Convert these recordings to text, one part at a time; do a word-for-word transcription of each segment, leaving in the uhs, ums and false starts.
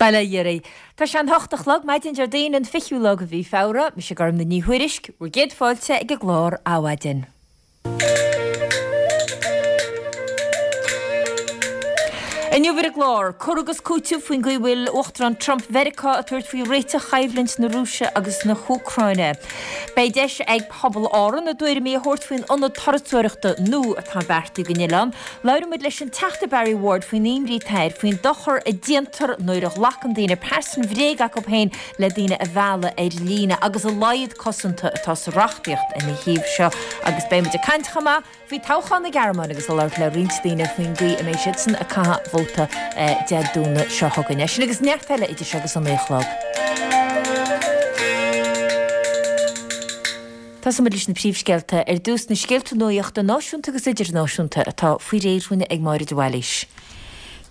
Bail ó Dhia oraibh. Tá sé an hocht a chlog, maidin Déardaoin an fichiú lá de mhí Feabhra, mise Gormfhlaith Ní Thuairisg, bhur gcéad fáilte ag an gclár Adhmhaidin. Inniu ar an gclár, cur agus cúiteamh faoin gcaoi a bhfuil Uachtarán Trump Mheiriceá ag tabhairt faoi réiteach choimhlint na Rúise agus na hÚcráine. Beidh deis ag pobal Árann a dtuairimí a thabhairt faoin ionad turasóireachta nua atá beartaithe don oileán. Labhróidh muid leis an Teachta Barry Ward faoin imní atá air faoin dochar a déantar nuair a ghlacann daoine pearsan bhréige acu féin le daoine a mhealladh ar líne agus a laghad cosanta atá sa reachtaíocht ina thaobh seo. Agus beidh muid ag caint chomh maith faoi toghchán na Gearmáine agus ag labhairt le roinnt daoine faoin gcaoi a mbeidh siadsan ag caitheamh vóta Dé Domhnaigh seo chugainn. É sin agus neart eile idir seo agus an naoi a chlog. Tosóidh muid leis na príomhscéalta. Ar dtús, na scéalta nuachta náisiúnta agus idirnáisiúnta atá faoi réir dhúinn ag Máire de Bhailís.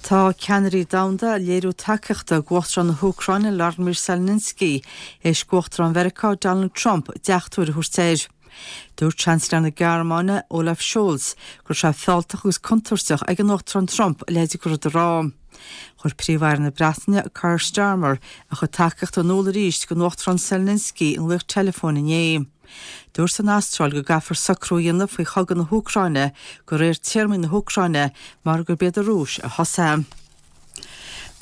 Tá ceannairí domhanda ag léiriú tacaíochta d'Uachtarán na hÚcráine Vladimir Zelensky théis d'Uachtarán Mheiriceá Donald Trump deachtóir a thabhairt air. Dúirt Seansailéir na Gearmáine, Olaf Scholz, go raibh sé fealltach agus contúirteach ag an Uachtarán Trump a leithéid de rud a rá. Chuir Príomh-Aire na Breataine, Keir Starmer, a chuid tacaíochta in iúl arís don Uachtarán Zelensky i nglaoch teileafóin inné. Dúirt an Astráil go gcaithfear socrú a dhéanamh faoi chogadh na hÚcráine de réir téarmaí na hÚcráine mar gurb iad an Rúis a thosaigh.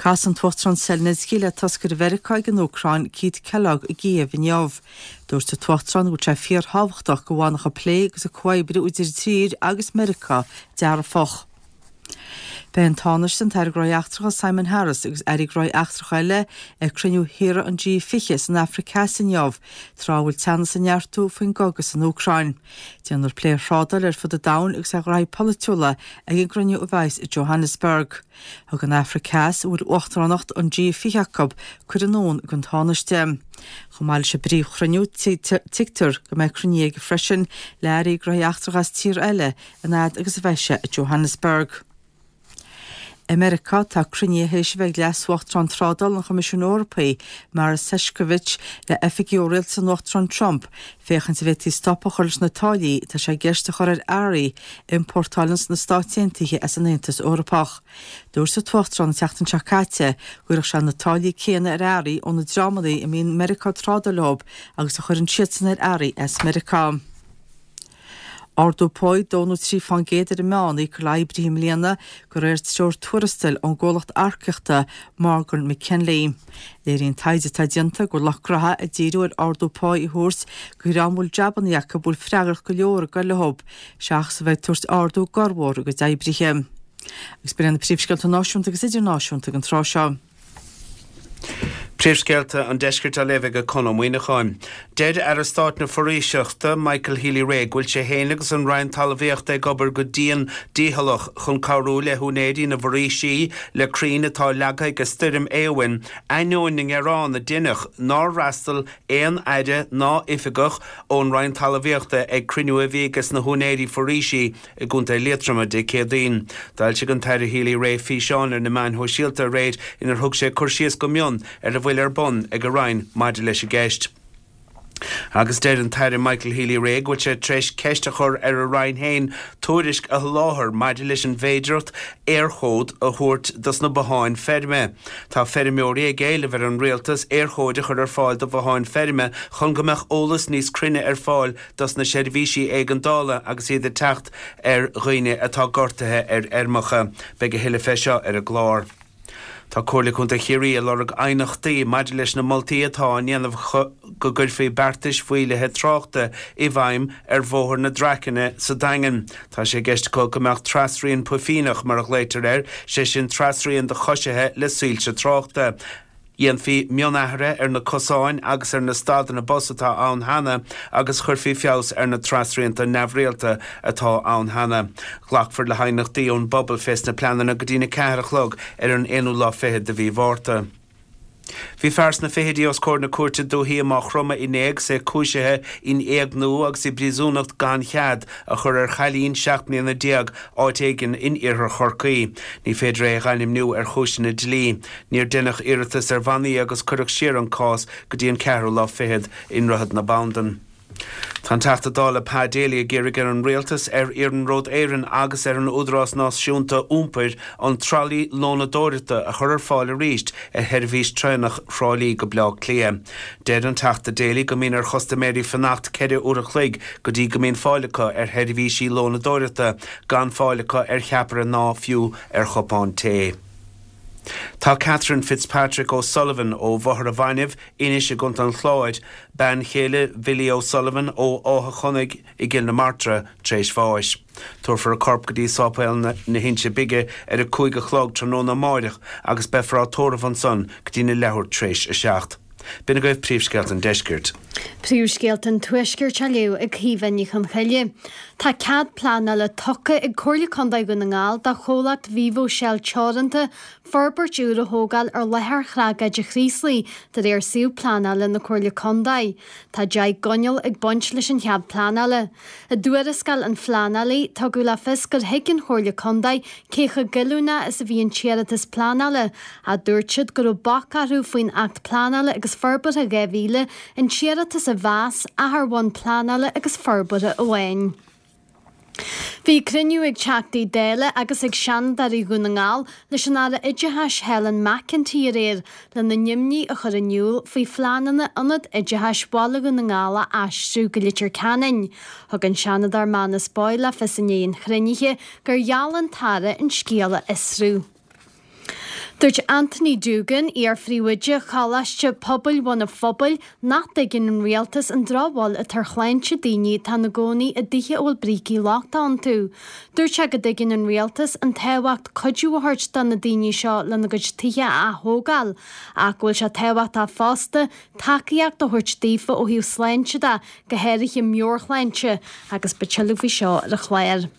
Casfaidh an tUachtarán Zelensky le toscaire Mheiriceá ag an Úcráin, Keith Kellogg i gCíév inniu. Dúirt an tUachtarán go bhfuil sé fíorthábhachtach go bhfanfadh an plé agus an comhoibriú idir an tír agus Meiriceá dearfach. Beidh an Tánaiste, an tAire Gnóthaí Eachtracha Simon Harris agus Airí Gnóthaí Eachtracha eile ag cruinniú thíortha an G fiche san Afraic Theas inniu, tráth a bhfuil teannas ag neartú faoin gcogadh san Úcráin. Déanfar plé ar thrádáil ar fud an domhain agus ar ghraithí polaitiúla ag an gcruinniú a bheas i Johannesburg. Thug an Afraic Theas, a bhfuil uachtaránacht an G fiche acu, cuireadh anonn don Tánaiste. Chomh maith leis an bpríomhchruinniú, tuigtear go mbeidh cruinnithe aige freisin le hairí gnóthaí eachtracha as tíortha eile an fhad agus a bheidh sé i Johannesburg. I Meiriceá, tá cruinnithe théis a bheith ag Leas-Uachtarán Trádála an Choimisiúin Eorpaigh, Maros Sefcovic, le hoifigigh ó rialtas an Uachtaráin Trump féachaint an bhféadfaí stop a chur leis na táillí atá sé i gceist a chur ar earraí a iompórtálann sna Stáit Aontaithe as an Aontas Eorpach. Dúirt an tUachtarán an tseachtain seo caite go gcuirfeadh sé na táillí céanna ar earraí ó na dreamanna a mbíonn Meiriceá ag trádáil leo agus a chuireann siadsan ar earraí as Meiriceá. Ardú páí dó nó trí fán gcéad ar an meán a íocfar le hoibrithe i mbliana de réir treoir tuarastail ón gcomhlacht earcaíochta Morgan McKinley. Léiríonn taighde atá déanta go bhfuil lucht gnoithe ag díriú ar ardú páí a thabhairt do dhream a bhfuil jabannaí acu a bhfuil freagracht go leor ag goil leo seachas a bheith ag tabhairt ardú corrmhór dá gcuid oibrithe. Agus b'in iad na príomhscéalta náisiúnta agus idirnáisiúnta ag an tráth seo. Príomhscéalta an Deiscirt á léamh ag Conn Ó Muíneacháin. Deir Aire Stáit na Foraoiseachta, Michael Healy-Rae, go bhfuil sé féin agus an Roinn Talmhaíochta ag obair go dian dícheallach chun cabhrú le húinéirí na bhforaoisí le crainn atá leagtha ag Stoirm Éowyn, ainneoin na ngearán a deineadh nár fhreastail aon aire ná oifigeach ón Roinn Talmhaíochta ag cruinniú a bhí aige sna húinéirí foraoisí i gContae Liatroma Dé Céadaoin. D'fhoilsigh an tAire Healy-Rae físeán ar na meáin shóisialta aréir inar thug sé cur síos go mion ar a bhfuil ar bun ag a Roinn maidir leis an gceist. Agus deir an tAire Michael Healy-Rae go bhfuil sé tar éis ceist a chur ar a Roinn féin tuairisc a sholáthar maidir leis an bhféidearthacht Éirchód a thabhairt dos na botháin feirme. Tá feirmeoirí ag éileamh ar an rialtas Éirchóid a chur ar fáil do bhotháin feirme chun go mbeadh eolas níos cruinne ar fáil dos na seirbhísí éigeandála agus iad ag teacht ar dhaoine atá gortaithe ar fheirmeacha. Beidh a thuilleadh fé seo ar an gclár. Tá Comhairle Contae Chiarraí ag lorg aighneachtaí maidir leis na moltaí atá á ndéanamh go gcuirfí beartais mhaolaithe tráchta i bhfeidhm ar Bhóthar na Dracaine sa Daingean. Tá sé i gceist acu go mbeadh trasrian puifíneach, mar a ghlaoitear air, sé sin trasrian do choisithe le soilse tráchta. Dhéanfaí mionathruithe ar na cosáin agus ar na stadanna bus atá ann cheana agus chuirfí feabhas ar na trasrianta neamhrialta atá ann cheana. Glacfar le haighneachtaí ón bpobal fés na pleananna go dtí'n a ceathair a chlog ar an aonú lá fichead de mhí Mhárta. Bhí fear sna fichidí os comhair na cúirte dúichí i Maigh Chromtha inné agus é cúisithe in éigniú agus i bpríosúnacht gan chead a chur ar chailín seacht mbliana déag áit éigin in iarthar Chorcaí. Ní féidir é a dh'ainmniú ar chúiseanna dlí. Níor deineadh iarratas ar bhannaí agus cuireadh siar an cás go dtí an ceathrú lá fichead i nDroichead na Bandan. Tá an Teachta Dála Pa Daly ag iarraidh ar an Rialtas, ar Iarnród Éireann agus ar an Údarás Náisiúnta Iompair an tralaí lónadóireachta a chur ar fáil arís ar sheirbhís traenach Thrá Lí go Baile Átha Cliath. Deir an Teachta Daly go mbíonn ar chustaiméirí fanacht ceithre uair a chloig go dtí go mbíonn fáil acu ar sheirbhísí lónadóireachta, gan fáil acu ar cheapaire ná fiú ar chupán tae. Tá Catherine Fitzpatrick O'Sullivan ó Bhóthar an Bhainbh, Inis i gContae an Chláir, bean chéile Bhilly O'Sullivan ó Áth Chonaig i gCill na Martra, tar éis bháis. Tabharfar a corp go dtí Sáipéal na hInse Bige ar a cúig a chlog tráthnóna amáireach agus beifear á tórramh ansan go dtí na leathuair tar éis a seacht. B'in agaibh príomhscéalta an deiscirt. Príomhscéalta an Tuaiscirt á léamh ag Caoimhe Ní Chonchoille. Tá cead pleanála tugtha ag Comhairle Contae Dhún na nGall do chomhlacht Vivo Shell Teoranta forbairt úr a thógáil ar láthair thragóide Chraoslaigh de réir suíomh pleanála na Comhairle Contae. Tá deich gcoinníoll ag baint leis an chead pleanála. I dtuarascáil an phleanálaí, tugadh le fios gur thuig an Chomhairle Contae cé chomh goilliúnach is a bhí an t-iarratas pleanála, ach dúirt siad go raibh bac orthu faoin Acht Pleanála agus Forbartha dhá mhíle an t-iarratas a mheas ach ar bhonn pleanála agus forbartha amháin. Bhí cruinniú ag Teachtaí Dála agus ag Seanadóirí Dhún na nGall leis an Aire Oideachais Helen McEntee aréir lena n-imní a chur in iúl faoi phleananna Ionad Oideachais Bhaile Dhún na nGall a aistriú go Leitir Ceanainn. Thug an Seanadóir Manus Boyle le fios i ndiaidh an chruinnithe gur gheall an tAire an scéal a fhiosrú. Dúirt Anthony Doogan, iar-phríomhoide Choláiste Pobail Bhun an Phobail, nach dtuigeann an rialtas an drochbhail atá ar shláinte daoine atá ina gcónaí i dtithe a bhfuil brící lochta iontu. Dúirt sé go dtuigeann an rialtas an tábhacht cuidiú a thabhairt do na daoine seo lena gcuid tithe a ath-thógáil, ach go bhfuil sé tábhachtach fosta tacaíocht a thabhairt daofa ó thaobh sláinte de, go háirithe meabhairshláinte, agus beidh tuilleadh faoi seo ar an chlár.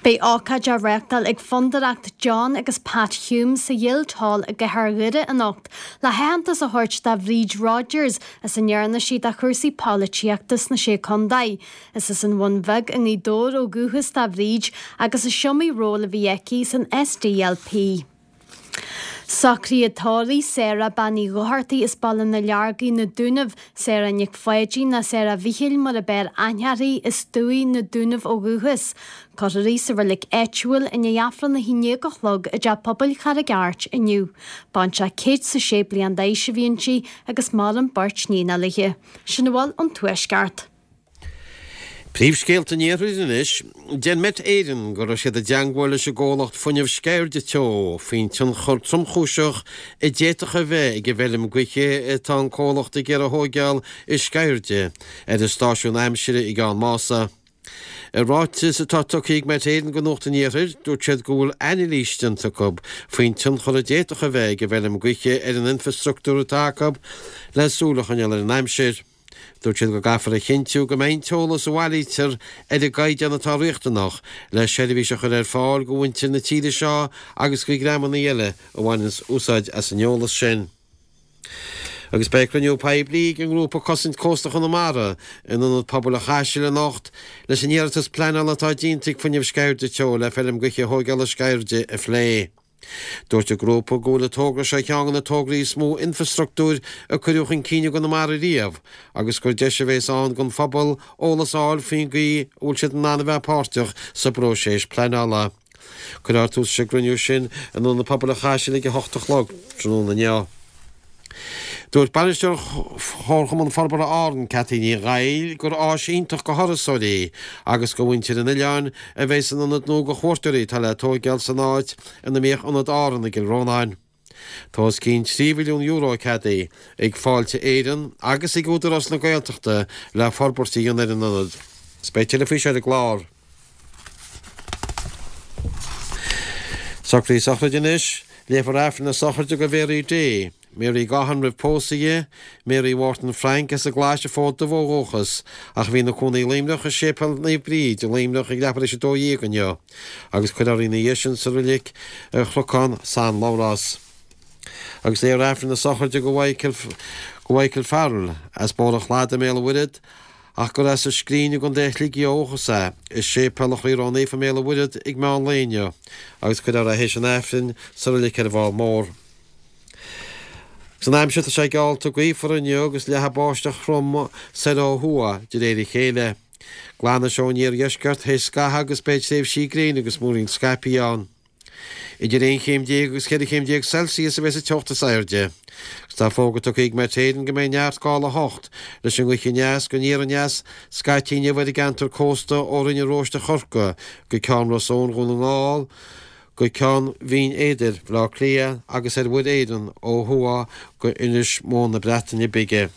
Beidh ócáid á reáchtáil ag Fondúireacht John agus Pat Hume sa Guildhall i gcathair Dhoire anocht le haitheantas a thabhairt do Bhríd Rodgers as a ndearna sí do chúrsaí polaitíochta sna Sé Contae. Is as an Bhun Bheag i nGaoth Dobhair ó dhúchas do Bhríd agus is iomaí ról a bhí aici san S D L P. Socruithe tórraimh Sarah Bean Uí Dhochartaigh as Baile na Leargaí na Dúnaibh, Sarah Nic Pháidín ná Sarah Mhichíl mar ab fhearr aithne uirthi as Dumhaigh na Dúnaibh ó dhúchas. Cuirfear í sa reilig áitiúil i ndiaidh Aifreann a haon déag a chlog i dTeach Pobail Charraig Airt inniu. Baintreach céad is a sé bliain d'aois a bhí inti agus maireann beirt níon léi. Sin a bhfuil ón Tuaisceart. Príomhscéalta an Iarthair anois. Deir Met Éireann go raibh siad i dteagmháil leis an gcomhlacht fuinnimh Sceirde Teo faoin tionchar tromchúiseach a d'fhéadfadh a bheith ag an bhfeirm gaoithe atá an comhlacht ag iarraidh a thóigeáil i Sceirde ar an stáisiún aimsire i gCeann Mása. I ráiteas atá tugtha ag Met Éireann go Nuacht an Iarthair, dúirt siad go bhfuil anailís déanta acu faoin tionchar a d'fhéadfadh a bheith ag an bhfeirm gaoithe ar an infreastruchtúr atá acu le súil a choinneáil ar an aimsir. Dúirt siad go gcaithfear a chinntiú go mbeidh an t-eolas a bhailítear ar an gcaighdeán atá riachtanach le seirbhís a chur ar fáil go mhuintir na tíre seo agus go dhreamanna eile a bhaineanns úsáid as an eolas sin. Agus beidh cruinniú poiblí ag an ngrúpa Cosaint Cósta Chonamara in Ionad Pobail an Chaisil anocht leis an iarratas pleanála atá déanta ag Fuinneamh Sceirde Teo le feirm gaoithe a thógáil i Sceirde a phlé. Dúirt an grúpa go bhfuil an togra seo ceann de na tograí is mó infreastruchtúir a cuireadh chun cinn i gConamara riamh agus gur deis a bheas ann don phobal eolas a fháil faoin gcaoi a bhfuil siad in ann a bheith páirteach sa bpróiseas pleanála. Cuirfear tús leis an gcruinniú sin in Ionad Pobail an Chaisil ag a hocht a chlog tráthnóna inniu. Dúirt bainisteoir Chomharchumann Forbartha Árann, Cathy Ní Ghaill, gur áis iontach go thurasóirí agus go mhuintir an oileáin a bheidh san ionad nua go chuairteoirí atá le tóigeáil san áit ina mbíodh ionad Árann i gCill Rónáin. Tá os cionn trí mhilliún euro ceadaithe ag Fáilte Éireann agus ag Údarás na Gaeltachta le forbairt a dhéanamh ar an ionad. Is beidh tuilleadh faoi seo ar an gclár. Socruithe sochraide anois, léifear Aifreann na sochraide go Mhary Day, Mary Gahan roimh pósadh di, Mary Wharton Frank as an gClais an Fód Dubh ó dhúchas, ach a bhí ina cónaí i Luimneach i Séipéal Naomh Bríd i Luimneach ag leathuair tar éis a dó dhéag inniu, agus cuirfear í ina dhiaidh sin sa reilig ar Chnocán San Labhrás. Agus léifear Aifreann na sochraide go Michael, go Michael Farrell as Bóthar an Chladaigh i mBéal an Mhuirthead, ach gur as an Scrín i gContae Shligigh ó dhúchas é, i Séipéal an Chroí Ró-Naofa i mBéal an Mhuirthead ag meán lae inniu, agus cuirfear é théis an Aifrinn sa reilig ar an bhFál Mór. San aimsir tá sé geallta gaofar inniu agus leathfaidh báisteach throm soir ó thuaidh de réir a chéile. Glanfaidh sé ón iardheisceart théis scaitheamh agus beidh tréimhsí gréine agus múirín scaipthe ann. Idir aon chéim déag agus ceithre chéim déag Celsius a bheas an teocht is airde. Agus tá fógra tugtha ag Met Éireann go mbeidh neart gála a hocht leis an ngaoth aneas go aniar aneas scaití inniu ar an gceantar cósta ó Rinn an Róiste Chorcaí go Ceann Ros Eoin Dhún na nGall go Ceann Bhinn Éadair Bhaile Átha Cliath agus ar Mhuir Éireann ó thuaidh go Inis Mór na Breataine Bige.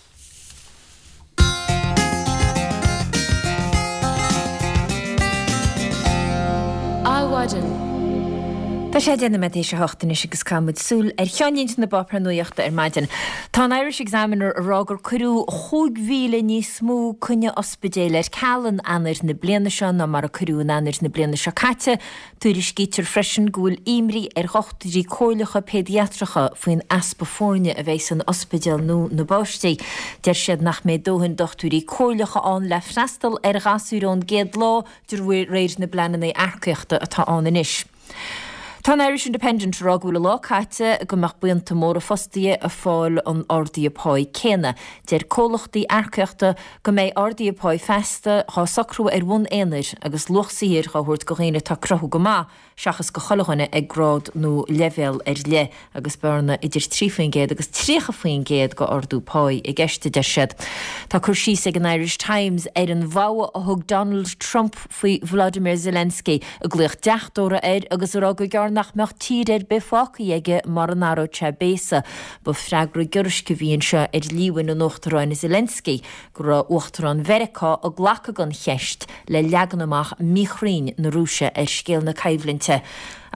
Adhmhaidin. Tá sé deich nóiméad théis a hocht anois agus caithfidh muid súil ar cheannlínte na bpáipéar nuachta ar maidin. Tá an Irish Examiner ag rá gur cuireadh chúig mhíle níos mó coinne ospidéil ar ceal in Eanáir na bliana seo ná mar a cuireadh in Eanáir na bliana seo caite. Tuairiscítear freisin go bhfuil imní ar dhochtúirí comhairleacha péidiatracha faoin easpa foirne a bheidh san ospidéal nó na bpáistí. Deir siad nach mbeidh dóthain dochtúirí comhairleacha ann le freastal ar ghasúir ón gcéad lá de réir na bpleananna earcaíochta atá ann anois. Tá an Irish Independent ag rá go bhfuil a lá caite go mbeadh buíonta móra fostaithe ag fáil an ardaithe páí céanna. Deir comhlachtaí earcaíochta go mbeidh ardaithe páí feasta dhá socrú ar bhonn aonair agus luach saothair dhá thabhairt do dhaoine atá ag cruthú go maith seachas go chuile dhuine ag grád nó leibhéal ar leith agus bearna idir trí faoin gcéad agus tríocha faoin gcéad go ardú páí i gceist, a deir siad. Tá cur síos ag an Irish Times ar an bhfogha a thug Donald Trump faoi Volodymyr Zelensky, ag glaoch deachtóra air agus ag rá gur gearr nach mbeadh tír ar bith fágtha aige mura n-athródh sé béasa. Ba freagra giorraisc a bhí anseo ar líomhain an Uachtaráin Zelensky go raibh Uachtarán Mheiriceá ag glacadh den cheist le leagan amach míchruinn na Rúise ar scéal na coimhlinte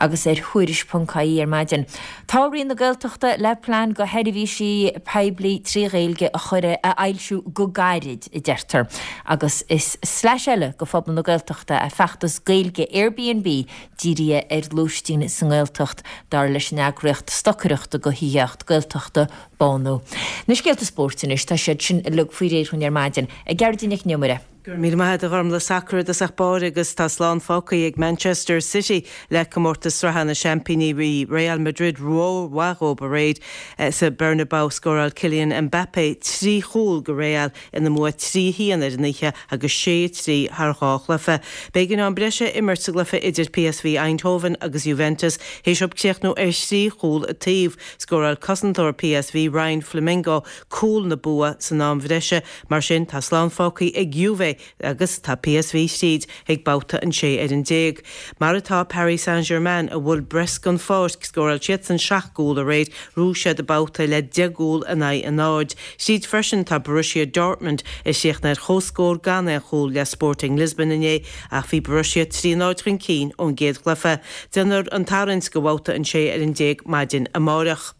agus ar Thuairisc ponc ie ar maidin. Tá Roinn na Gaeltachta le plean go sheirbhísí poiblí trí Ghaeilge a chur a fhoilsiú go gairid, a deirtear, agus is sleais eile go phobal na Gaeltachta é feachtas Gaeilge Airbnb dírithe ar lóistín sa nGaeltacht, dar leis an eagraíocht stocaireachta go thithíocht Gaeltachta, Bánú. Na scéalta spóirt anois, tá siad sin uilig faoi réir dhúinn ar maidin. Ag Gearóidín Nic an Iomaire. Go raibh míle maith agat a Ghormlaith. Sacar i dtosach báire agus tá slán fágtha ag Manchester City le comórtas sraithe na seaimpíní. Bhí Real Madrid rómhaith dhóibh aréir sa Bernabeu. Scóráil Kylian Mbappe trí chúl go Real ina mbua trí a haon ar an oíche agus sé a trí thar dhá chluiche. B'éigean am breise a imirt sa gcluiche idir P S V Eindhoven agus Juventus théis dóibh críochnú ar thrí chúl an taobh. Scóráil cosantóir P S V Ryan Flamingo cúl na bua san am bhreise. Mar sin tá slán fágtha ag Juve agus tá P S V tríd ag babhta an sé ar an déag. Mar atá Paris Saint-Germain a bhuail Brest den pháirc, scóráil siadsan seacht gcúl aréir, ghnóthaigh siad an babhta le deich gcúl in aghaidh a náid. Tríd freisin tá Borussia Dortmund a chríochnaigh ar chomhscór gan aon chúl le Sporting Lisbon inné, ach bhí Borussia trí náid chun cinn ón gcéad chluiche. Déanfar an tarraingt go bhabhta an sé ar an déag maidin amárach.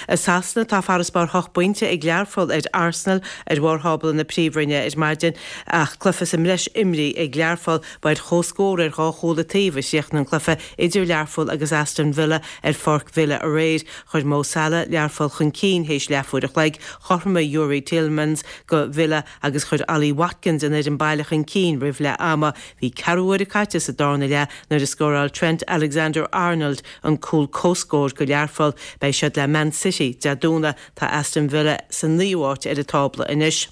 I Sasana tá farasbarr hocht bpointe ag Learpholl ar Arsenal ar bharr thábla na Príomhroinne ar maidin ach cluiche sa mbreis imrithe ag Learpholl. Ba ar chomhscór ar dhá chúl an taobh a chríochnaigh an cluiche idir Learpholl agus Aston Villa ar Pháirc Villa aréir. Chuir Mo Salah Learpholl chun cinn théis leathuair a chloig, chothromaigh Youri Tielemans go Villa agus chuir Ollie Watkins an fhoireann baile chun cinn roimh leath ama. Bhí ceathrú uaire caite sa darna leath nuair a scóráil Trent Alexander-Arnold an cúl comhscóir go Learpholl. Beidh siad le Man City Dé Domhnaigh. Tá Aston Villa sa naoú háit ar an tábla anois.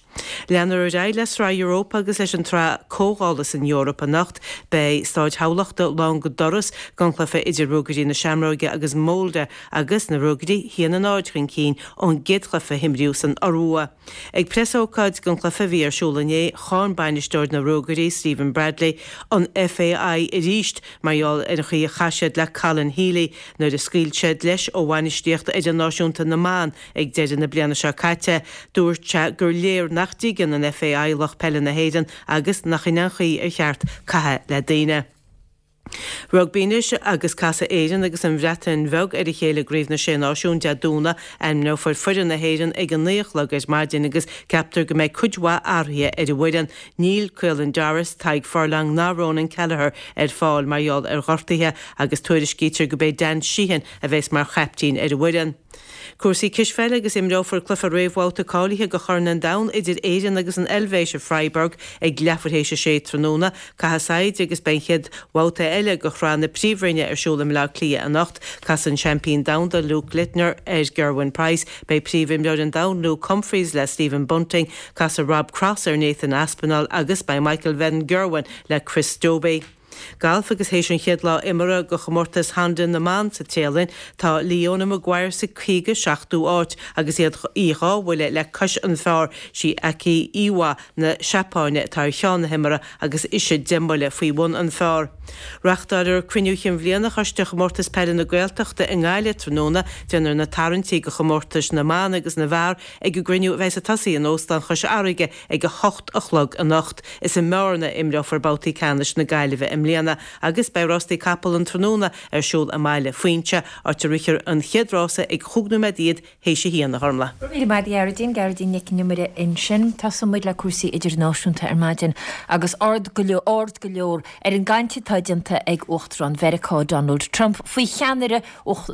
Leanfar ar aghaidh le Sraith Europa agus leis an tsraith comhdhála san Eoraip anocht. Beidh Stáid Thamhlachta lán go doras don chluiche idir Ruagairí na Seamróige agus Molde agus na Ruagairí haon a náid chun cinn ón gcéad chluiche a himríodh san Iorua. Ag preasócáid don chluiche a bhí ar siúl inné, cháin bainisteoir na Ruagairí Stephen Bradley an F A I arís mar gheall ar an chaoi a chaith siad le Colin Healy nuair a scaoil siad leis ó bhainistíocht fhoireann náisiúnta na mban ag deireadh na bliana seo caite. Dúirt sé gur léir nach dtuigeann an F A I lucht peile na hÉireann agus nach in an chaoi ar cheart caitheamh le daoine. Rugbaí anois agus casfaidh Éirinn agus an Bhreatain Bheag ar a chéile i gCraobh na Sé Náisiún Dé Domhnaigh. Ainmneofar foireann na hÉireann ag an naoi a chlog ar maidin agus ceaptar go mbeidh cuid mhaith athruithe ar an bhfoireann. Níl Caelan Doris, Tadhg Furlong ná Ronan Kelleher ar fáil mar gheall ar ghortuithe agus tuairiscítear go mbeidh Dan Sheehan a bheas mar chaiptín ar an bhfoireann. Cúrsaí cispheile agus imreofar cluiche réamhbhabhta cáilithe do Chorn an Domhain idir Éirinn agus an Eilvéis i Freiburg ag leathuair théis a sé tráthnóna. Caithfidh saighde agus beidh an chéad bhabhta eile de Shraith na Príomhroinne ar siúl i mBleá Cliath anocht. Casann seaimpín domhanda Luke Littler ar Gerwyn Price. Beidh príomhimreoir an domhain Luke Humphries le Stephen Bunting. Casfaidh Rob Cross ar Nathan Aspinall agus beidh Michael van Gerwen le Chris Dobey. Galf agus théis an chéad lá imeartha de chomórtas Honda na mBan sa Téalainn, tá Leona Maguire sa caoga seachtú áit agus iad í dhá bhuille le cois an phar. Sí Aki Iwai na Seapáine atá ar cheann na himeartha agus ise deich mbuille faoi bhun an phar. Reáchtáiltear cruinniú chinn bhliana Choiste Chomórtas Peile na Gaeltachta i nGaillimh tráthnóna. Déanfar na tarraingtí do chomórtais na mban agus na bhfear ag an gcruinniú a bheas ag tosaí in Óstán Chois Fharraige ag a hocht a chlog anocht. Is i mBearna a imreofar babhtaí ceannais na Gaillimhe i mbliana agus beidh rástaí capall an tráthnóna ar siúl i mBaile Phuinse, áit a rithfear an chéad rása ag chúig nóiméad déag théis a haon, a Ghormlaith. Go raibh míle maith agat, a Ghearóidín. Gearóidín Nic an Iomaire ansin. Tosóidh muid le cúrsaí idirnáisiúnta ar maidin agus aird go leor, aird go leor ar an gcaint atá déanta ag Uachtarán Mheiriceá Donald Trump faoi cheannaire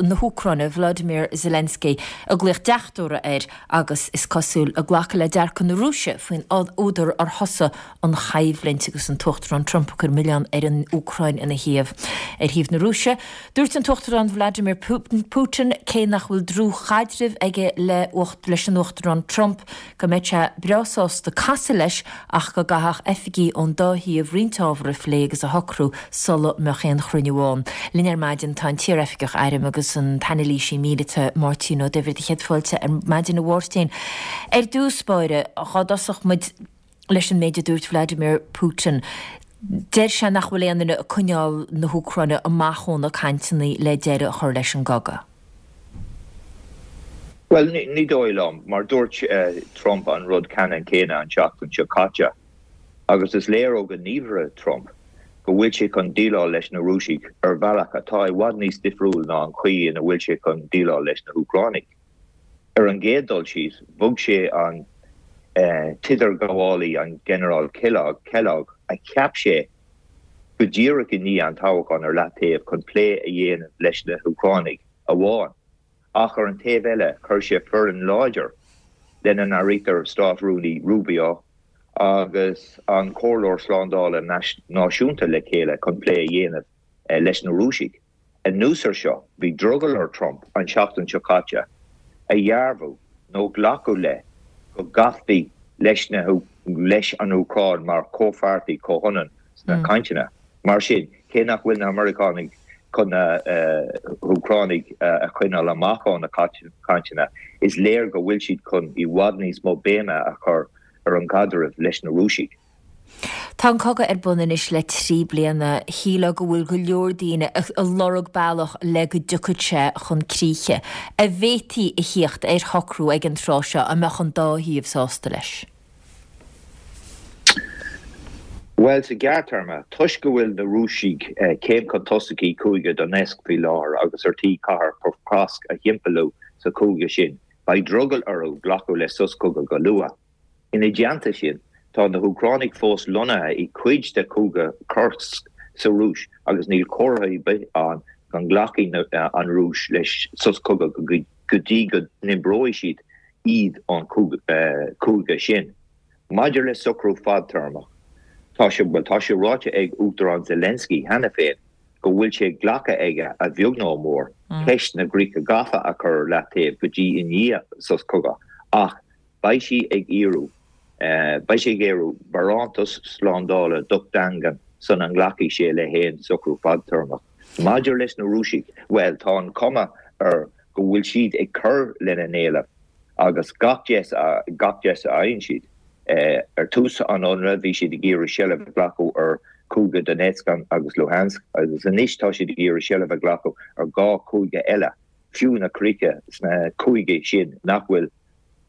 na hÚcráine Volodymyr Zelensky, ag glaoch deachtóra air agus is cosúil ag glacadh le dearcadh na Rúise faoin údar ar thosaigh an choimhlint agus an tUachtarán Trump ag cur milleán ar an Úcráin ina thaobh. Ar thaobh na Rúise, dúirt an tUachtarán Vladimir Putin, cé nach bhfuil dlúthchaidreamh aige le leis an Uachtarán Trump, go mbeadh sé breá sásta casadh leis ach go gcaithfeadh oifigigh ón dá thaobh roinnt ábhar a phlé agus a shocrú sula mbeadh aon chruinniú ann. Linn ar maidin tá an t-iaroifigeach airm agus an t-anailísí míleata Máirtín Ó Duibhir. Céad fáilte ar maidin a Mháirtín. Ar dtús báire, dhá dtosódh muid leis an méid a dúirt Vladimir Putin. Deir sé nach bhfuil aon duine ag coinneáil na hÚcráine amach ó na cainteanna le deireadh a chur leis an gcogadh. Bhuel, ní dóigh liom, mar dúirt Trump an rud ceannann céanna an tseachtain seo caite, agus is léir ó ghníomhartha Trump go bhfuil sé chun déileáil leis na Rúisigh ar bhealach atá i bhfad níos difriúil ná an chaoi ina bhfuil sé chun déileáil leis na hÚcránaigh. Ar an gcéad dul síos, bhog sé an t-idirghabhálaí, an Ginearál Kellogg, a cheap sé go díreach i ndiaidh an toghcháin ar leataobh chun plé a dhéanamh leis na hÚcránaigh amháin. Ach ar an taobh eile, chuir sé foireann láidir, lena n-áirítear Stát-Rúnaí Rubio agus an Comhairleoir Slándála Náisiúnta le chéile chun plé a dhéanamh leis na Rúisigh. Anuas air seo, bhí drogall ar Trump an tseachtain seo caite a dhearbhú nó glacadh le go gcasfaí leis na leis an Úcráin mar chomhpháirtí comhionann sna cainteanna. Mar sin, cé nach bhfuil na Meiriceánaigh chun na hÚcránaigh a choinneáil amach ó na cainteanna, is léir go bhfuil siad chun i bhfad níos mó béime a chur ar an gcaidreamh leis na Rúisigh. Tá an cogadh ar bun anois le trí bliana. Shílfeá go bhfuil go leor daoine ag lorg bealach le go dtiocfadh sé chun críche. An bhféadfaí a thíocht ar shocrú ag an tráth seo a mbeadh an dá thaobh sásta leis? Bhuel, sa ghearrthéarma, toisc go bhfuil na Rúisigh céim chun tosaigh i gCúige Donetsk faoi láthair agus ar tí cathair Pokrovsk a thimpeallú sa chúige sin, beidh drogall orthu glacadh le sos cogaidh go luath. Ina dteannta sin, tá na hÚcránaigh fós lonnaithe i gcuid de Chúige Kursk sa Rúis agus níl comhartha ar bith ann go nglacfaidh an Rúis le sos cogaidh go dtí go ndíbreoidh siad iad ón chúige sin. Maidir le socrú fadtéarmach, tá sé, bhuel, tá sé ráite ag Uachtarán Zelensky cheana féin go bhfuil sé glactha aige, a bheag nó a mhór, ceist na gcríocha gafa a chur ar leataobh go dtí i ndiaidh sos cogaidh, ach beidh sí ag iarraidh, beidh sé ag iarraidh barántas slándála docht daingean sula nglacfaidh sé le haon socrú fadtéarmach. Maidir leis na Rúisigh, bhuel, tá an chuma air go bhfuil siad ag cur lena n-éileamh agus gach deis a gach deis a fhaigheann siad. Ar tús an ionraidh bhí siad ag iarraidh seilbh a ghlacadh ar Chúige Donetsk agus Luhansk agus anois tá siad ag iarraidh seilbh a ghlacadh ar dhá chúige eile, fiú na críocha sna cúigí sin nach bhfuil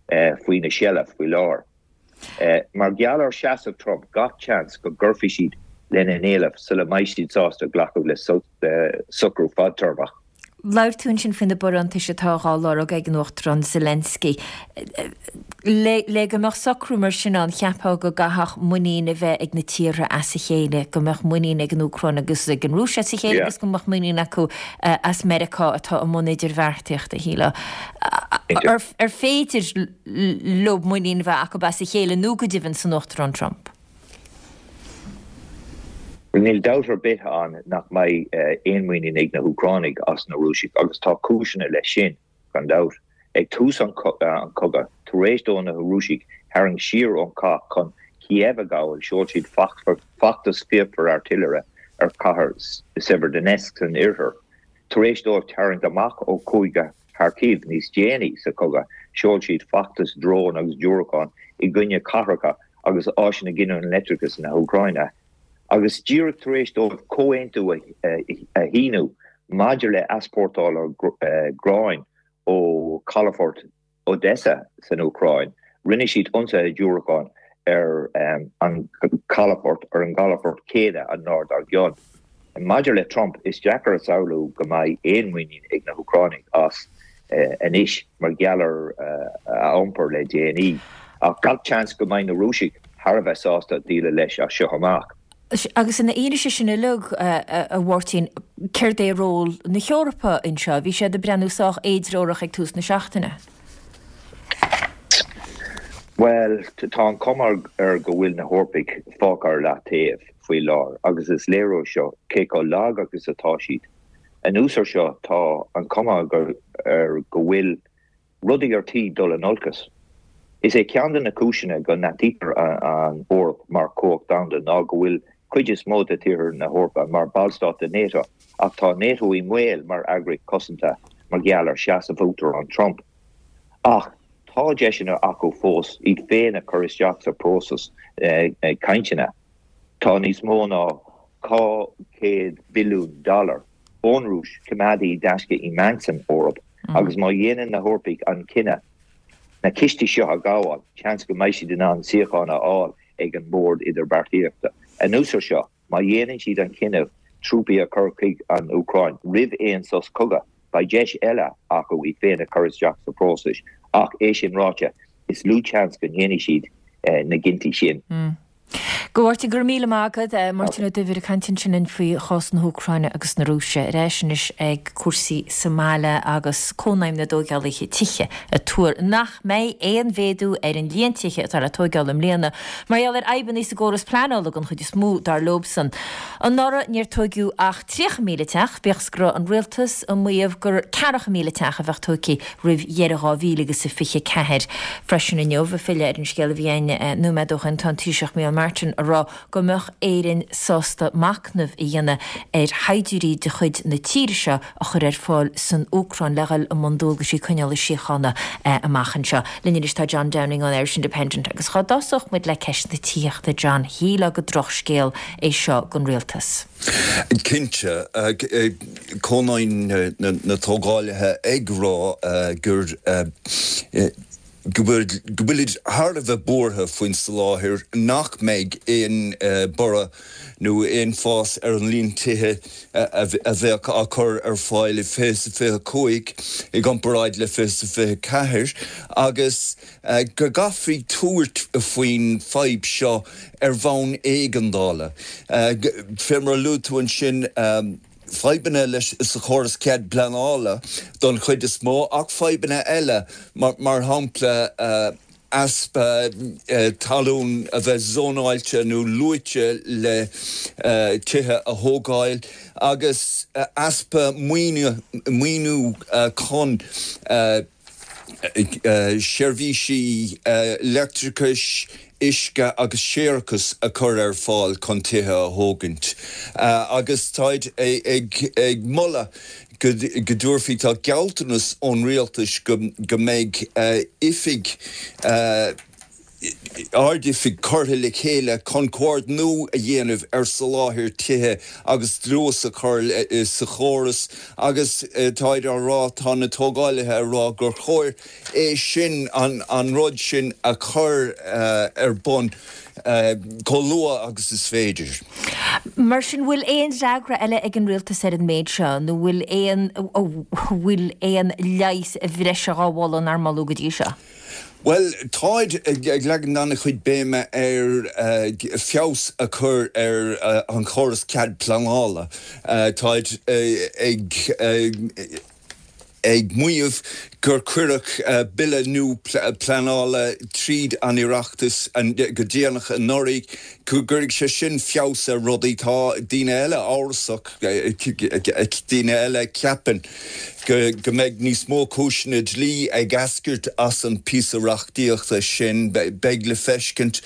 faoina seilbh faoi láthair. Mar gheall ar sheasamh Trump, gach seans go gcuirfidh siad lena n-éileamh sula mbeidh siad sásta glacadh le socrú fadtéarmach. Labhair tú ansin faoi na barántais atá á lorg ag an Uachtarán Zelensky. Le le go mbeadh socrú mar sin ann, cheapfá go gcaithfeadh muinín a bheith ag na tíortha as a chéile, go mbeadh muinín ag an Úcráin agus ag an Rúis as a chéile agus go mbeadh muinín acu as Meiriceá atá i mbun idirbheartaíochta, shílfeá. Ar ar féidir leo muinín a bheith acu as a chéile nó go deimhin san Uachtarán Trump? Níl dabht ar bith ann nach mbeidh aon mhuinín ag na hÚcránaigh as na Rúisigh agus tá cúiseanna leis sin, gan dabht. Ag tús an chogaidh, tar éis do na Rúisigh tharraingt siar ón chath chun Kiev a ghabháil, sheol siad feachtas fíochmhar airtléire ar chathair Severodonetsk san oirthear. Tar éis dóibh tarraingt amach ó chúige Kharkiv níos déanaí sa chogadh, sheol siad feachtas drón agus diúracán i gcoinne cathracha agus áiseanna giniúna leictreachais na hÚcráine. Agus díreach tar éis dóibh comhaontú a shíniú maidir le heaspórtáil gráin ó chalafort Odessa san Úcráin, rinne siad ionsaithe diúracán ar an chalafort ar an gcalafort céanna an lá dár gcionn. Maidir le Trump, is deacair a shamhlú go mbeidh aon mhuinín ag na hÚcránaigh as anois mar gheall ar a iompar le déanaí, ach gach seans go mbeidh na Rúisigh thar a bheith sásta déileáil leis as seo amach. Agus ina fhianaise sin uilig, a Mháirtín, céard é ról na hEorpa anseo? Bhí siad ag breathnú sách éidreorach ag tús na seachtaine. Bhuel, tá an chuma air go bhfuil na hEorpaigh fágtha ar leataobh faoi láthair agus is léiriú seo cé chomh lag agus atá siad. Anuas air seo, tá an chuma air go bhfuil rudaí ar tí dul in olcas. Is é ceann de na cúiseanna go n-aithnítear an Eoraip mar chumhacht domhanda ná go bhfuil cuid is mó de tíortha na hEorpa mar ballstát de NATO, ach tá NATO i mbaol mar eagraíocht cosanta mar gheall ar seasamh Uachtarán Trump. Ach tá deiseanna acu fós iad féin a chur isteach sa próiseas cainteanna. Tá níos mó ná dhá chéad billiún dollar ón Rúis coimeádta i dtaisce i mbainc san Eoraip agus má dhéanann na hEorpaigh an cinneadh na cistí seo a ghabháil, seans go mbeidh siad in ann suíochán a fháil ag an mbord idirbheartaíochta. Anuas air seo, má dhéanann siad an cinneadh trúpaí a chur chuig an Úcráin roimh aon sos cogaidh, beidh deis eile acu iad féin a chur isteach sa phróiseas. Ach é sin ráite, is lú seans go ndéanfaidh siad na cinntí sin. A Mháirtín, go raibh míle maith agat. Máirtín Ó Duibhir ag caint ansin linn faoi chás na hÚcráine agus na Rúise. Ar ais anois ag cúrsaí sa mbaile agus Cónaidhm na dTógálaithe Tithe ag tuar nach mbeidh aon mhéadú ar an líon tithe atá le tóigeáil i mbliana mar gheall ar fhadhbanna sa gcóras pleanála den chuid is mó, dar leobsan. Anuraidh níor tóigeadh ach tríocha míle teach, bíodh is go raibh an rialtas ag maíomh gur ceathracha míle teach a bheadh tógtha roimh dheireadh dhá mhíle agus a fiche ceathair. Freisin inniu, ag filleadh ar an scéal a bhí againn nóiméad ó shin, tá an Taoiseach Micheál Martin ag rá go mbeadh Éirinn sásta machnamh a dhéanamh ar shaighdiúirí de chuid na tíre seo a chur ar fáil san Úcráin le dhul i mbun dualgaisí coinneála síochána amach anseo. Linn anois tá John Downing ón Irish Independent agus dhá dtosódh muid le ceist na tithíochta, John, shílfeá gur drochscéal é seo don rialtas. Cinnte, Cónaidhm na dTógálaithe ag rá gur go bhfuilid thar a bheith buartha faoin soláthair nach mbeidh aon borradh nó aon fás ar an líon tithe a bheadh á cur ar fáil i fiche is a fiche cúig i gcomparáid le fiche is a fiche ceathair agus go gcaithfí tabhairt faoin fadhb seo ar bhonn éigeandála. Fé mar a luaigh tú ansin, fadhbanna leis sa chóras cead pleanála don chuid is mó ach fadhbanna eile mar shampla easpa talún a bheith zónáilte nó luaite le tithe a thógáil agus easpa maoiniú chun seirbhísí leictreachais, uisce agus séarachais a chur ar fáil chun tithe a thógaint. Agus táid ag moladh go dtabharfaí, tá gealltanas ón rialtas go mbeidh oifig, Ard-Oifig curtha le chéile chun comhordnú a dhéanamh ar soláthar tithe agus dlús a chur sa chóras agus táid á rá, tá na tógálaithe á rá gur chóir é sin, an rud sin a chur ar bun chomh luath agus is féidir. Mar sin, bhfuil aon fhreagra eile ag an rialtas ar an méid seo nó bhfuil aon, bhfuil aon leigheas bhreise dhá mholadh nár moladh go dtí seo? Bhuel, táid ag leagan an-chuid béime ar feabhas a chur ar an chóras cead pleanála. Táid ag ag maíomh gur cuireadh bille nua pleanála tríd an Oireachtas go déanach anuraidh, go gcuirfidh sé sin feabhas ar rudaí. Tá daoine eile amhrasach, daoine eile a cheapann go mbeidh níos mó cúiseanna dlí ag eascairt as an píosa reachtaíochta sin. Beidh le feiscint.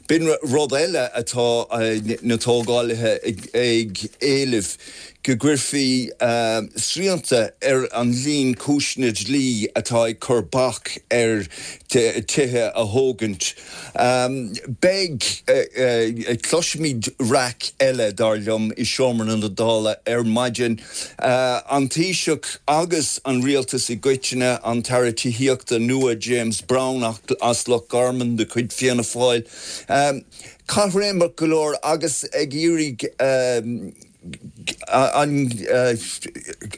B'in rud eile atá na tógálaithe ag éileamh, go gcuirfí srianta ar an líon cúiseanna dlí atá ag cur bac ar tithe a thógaint. Beidh, cloisfimid raic eile, dar liom, i seomra na Dála ar maidin. An Taoiseach agus an rialtas i gcoitinne, an tAire Tithíochta nua James Browne as Loch Garman de chuid Fianna Fáil, caithréimeach go leor agus ag iarraidh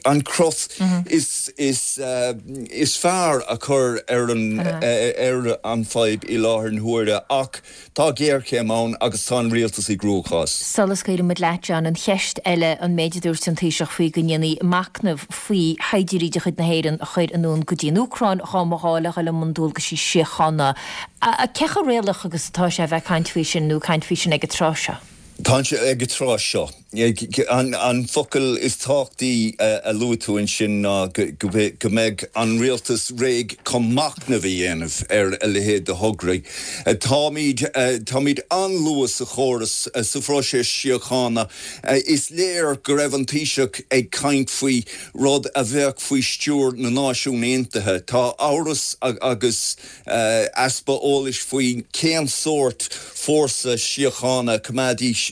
an cruth is is fearr a chur ar an ar an fadhb i láthair na huaire ach tá géarchéim ann agus tá an rialtas i gcruachás. Sula scaoileann muid leat, John, an cheist eile an méid a dúirt an Taoiseach faoi go ndéanfaí machnamh faoi shaighdiúirí de chuid na hÉireann a chur anonn go dtí an Úcráin dhá mba ghá le dhul i mbun dualgaisí síochána. Cé chomh réalaíoch agus atá sé a bheith ag caint faoi sin nó ag caint faoi sin ag an tráth seo? Tá sé ag an tráth seo. An focal is tábhachtaí a luaigh tú ansin ná go mbeidh an rialtas réidh chun machnamh a dhéanamh ar a leithéid de thograí. Táimid táimid an-luath sa chóras, sa phróiseas síochána. Is léir go raibh an Taoiseach ag caint faoi rud a bheadh faoi stiúir na Náisiún Aontaithe. Tá amhras agus easpa eolais faoi cén sórt fórsa síochána, coimeádaithe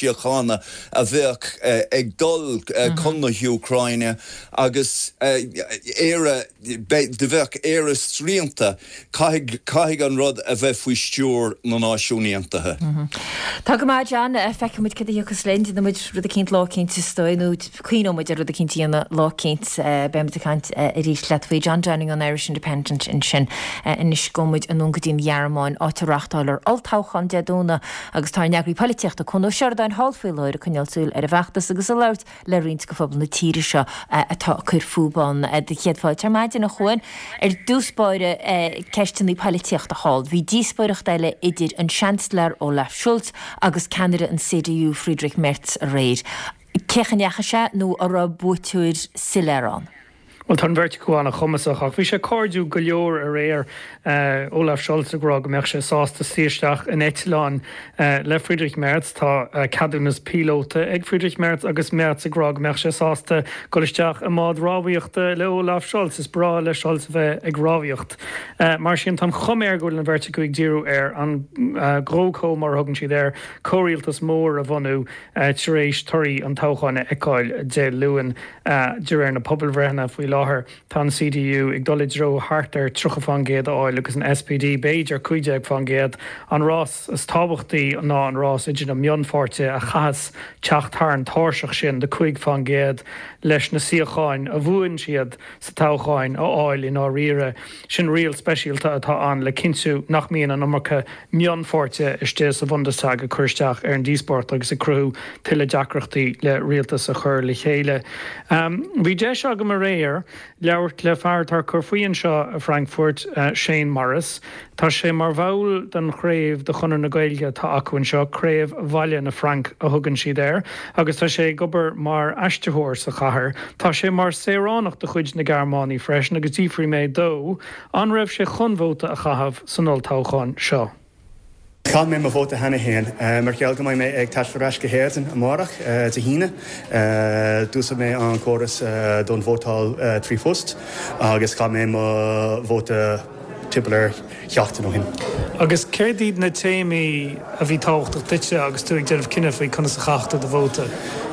síochána a bheadh ag dul chun na hÚcráine agus Éire, do bheadh Éire srianta, caithfidh, caithfidh an rud a bheith faoi stiúir na Náisiún Aontaithe. Tá go maith, John. Feicfidh muid cad a thiocfas linn. Déanfaidh muid rud eicínt lá eicínt is dóigh, nó cuimhneoidh muid ar rud eicínt a dhéanamh lá eicínt. Beidh muid ag caint arís leat faoi. John Downing ón Irish Independent ansin. Anois gabhfaidh muid anonn go dtí an Ghearmáin, áit a reáchtáiltear olltoghchán Dé Domhnaigh agus tá ár n-eagraí polaitíochta, Cuan Ó Seireadáin, thall faoi láthair ag coinneáil súil ar an bhfeachtas agus ag labhairt le roinnt de phobal na tíre seo atá ag cur fúthu ann. Do chéad fáilte ar maidin, a Chuain. Ar dtús báire, ceisteanna polaitíochta thall. Bhí díospóireacht eile idir an Seansailéir Olaf Scholz agus ceannaire an CDU Friedrich Merz aréir. Cé chaoi a ndeachaigh sé nó an raibh buaiteoir soiléir ann? Bhuel, tá an bheirt acu an-chumasach, ach bhí sé cairdiúil go leor aréir, Olaf Scholz ag rá go mbeadh sé sásta suí isteach in eitleán le Friedrich Merz. Tá ceadúnas píolóta ag Friedrich Merz agus Merz ag rá go mbeadh sé sásta dul isteach i mbád rámhaíochta le Olaf Scholz. Is breá le Scholz a bheith ag rámhaíocht. Mar sin, tá an chuma air go bhfuil an bheirt acu ag díriú ar an GroKo, mar a thugann siad air, comhrialtas mór a bhunú tar éis torthaí an toghcháin a fheiceáil Dé Luain. De réir na pobalbhreitheanna faoi láthair, tá an CDU ag dul i dtreo thart ar tríocha fán gcéad a fháil agus an SPD b'fhéidir cúig déag fán gcéad. An rás is tábhachtaí ná an rás idir na mionpháirtithe a chaitheas teacht thar an tairseach sin de cúig fán gcéad leis na suíocháin a bhuann siad sa toghchán a fháil i ndáiríre. Sin riail speisialta atá ann le cinntiú nach mbíonn an iomarca mionpháirtithe istigh sa Bhundestag ag cur isteach ar an díospóireacht agus ag cruthú tuilleadh deacrachtaí le rialtas a chur le chéile. Bhí deis agam aréir labhairt le fear atá ag cur faoi anseo i Frankfurt, Shane Morris. Tá sé mar bhall den chraobh de Chonradh na Gaeilge atá acu anseo, Craobh Bhaile na Fraince a thugann siad air, agus tá sé ag obair mar aistritheoir sa chathair. Tá sé mar saoránach de chuid na Gearmáine freisin agus d'fhiafraigh mé dó an raibh sé chun vóta a chaitheamh san olltoghchán seo. Chaith mé mo vóta cheana féin. Mar gheall go mbeidh mé ag taisteal ar ais go hÉirinn amárach, Dé hAoine, d'úsáid mé an córas don vótáil trí phost agus chaith mé mo vóta timpeall ar sheachtain ó shin. Agus céard iad na téamaí a bhí tábhachtach duitse agus tú ag déanamh cinneadh faoi conas a chaithfeadh tú do vóta?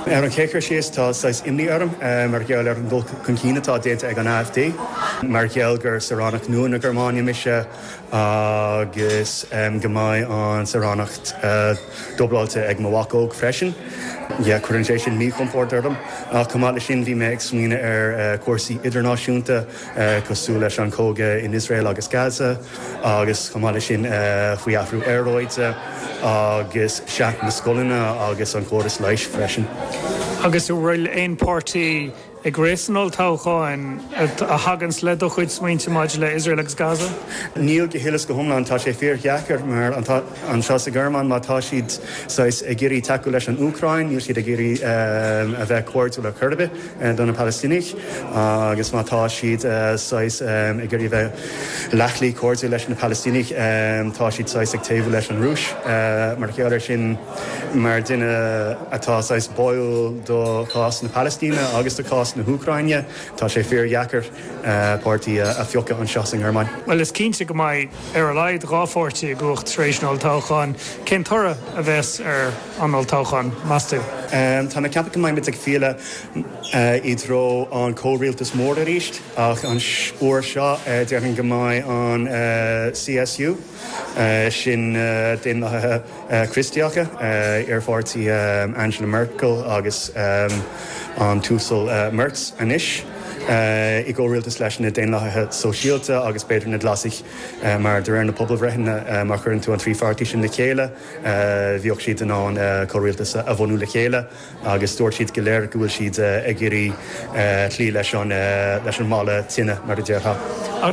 Ar an chéad chur síos, tá saghas imní orm mar gheall ar an dul chun cinn atá déanta ag an AfD. Mar gheall gur saoránach nua na Gearmáine mise, agus go mbeidh an saoránacht dúbláilte ag mo mhac óg freisin. Yeah, cuireann sé sin míchompord orm. Ach chomh maith leis sin bhí mé ag smaoineamh ar cúrsaí idirnáisiúnta cosúil leis an cogadh in Iosrael agus Gaza agus chomh maith leis sin faoi athrú aeráide agus sea, na scoileanna agus an córas leighis freisin. Agus an bhfuil aon páirtí ag rith san olltoghchán a thaganns le do chuid smaointe maidir le Iosrael agus Gaza? Níl go huile is go hiomlán. Tá sé fíordheacair mar anseo sa Ghearmáin má tá siad saghas ag iarraidh tacú leis an Úcráin, níl siad ag iarraidh a bheith cairdiúil ar chor ar bith do na Palaistínigh agus má tá siad saghas ag iarraidh a bheith leathshlí cairdiúil leis na Palaistínigh, tá siad saghas ag taobhú leis an Rúis. Mar gheall air sin, mar duine atá saghas báúil do chás na Palaistíne agus do chás na hÚcráine, tá sé fíordheacair páirtí a phiocadh anseo sa nGearmáin. Bhuel, is cinnte go mbeidh ar a laghad dhá pháirtí i gcumhacht tar éis an olltoghcháin. Cén toradh a bheas ar an olltoghchán, meas tú? Tá mé ag ceapadh go mbeimid ag filleadh i dtreo an comhrialtas mór arís, ach an uair seo déarfainn go mbeidh an CSU, sin Daonlathaithe Críostaíocha, iarpháirtí Angela Merkel agus an tUasal Merz anois, i gcomhrialtas leis na Daonlathaithe Sóisialta agus b'fhéidir na Glasaigh, mar de réir na pobalbhreitheanna, má chuireann tú an trí pháirtí sin le chéile, bheadh siad in ann comhrialtas a bhunú le chéile. Agus dúirt siad go léir go bhfuil siad ag iarraidh cloí leis an leis an mballa tine, mar a déarfá.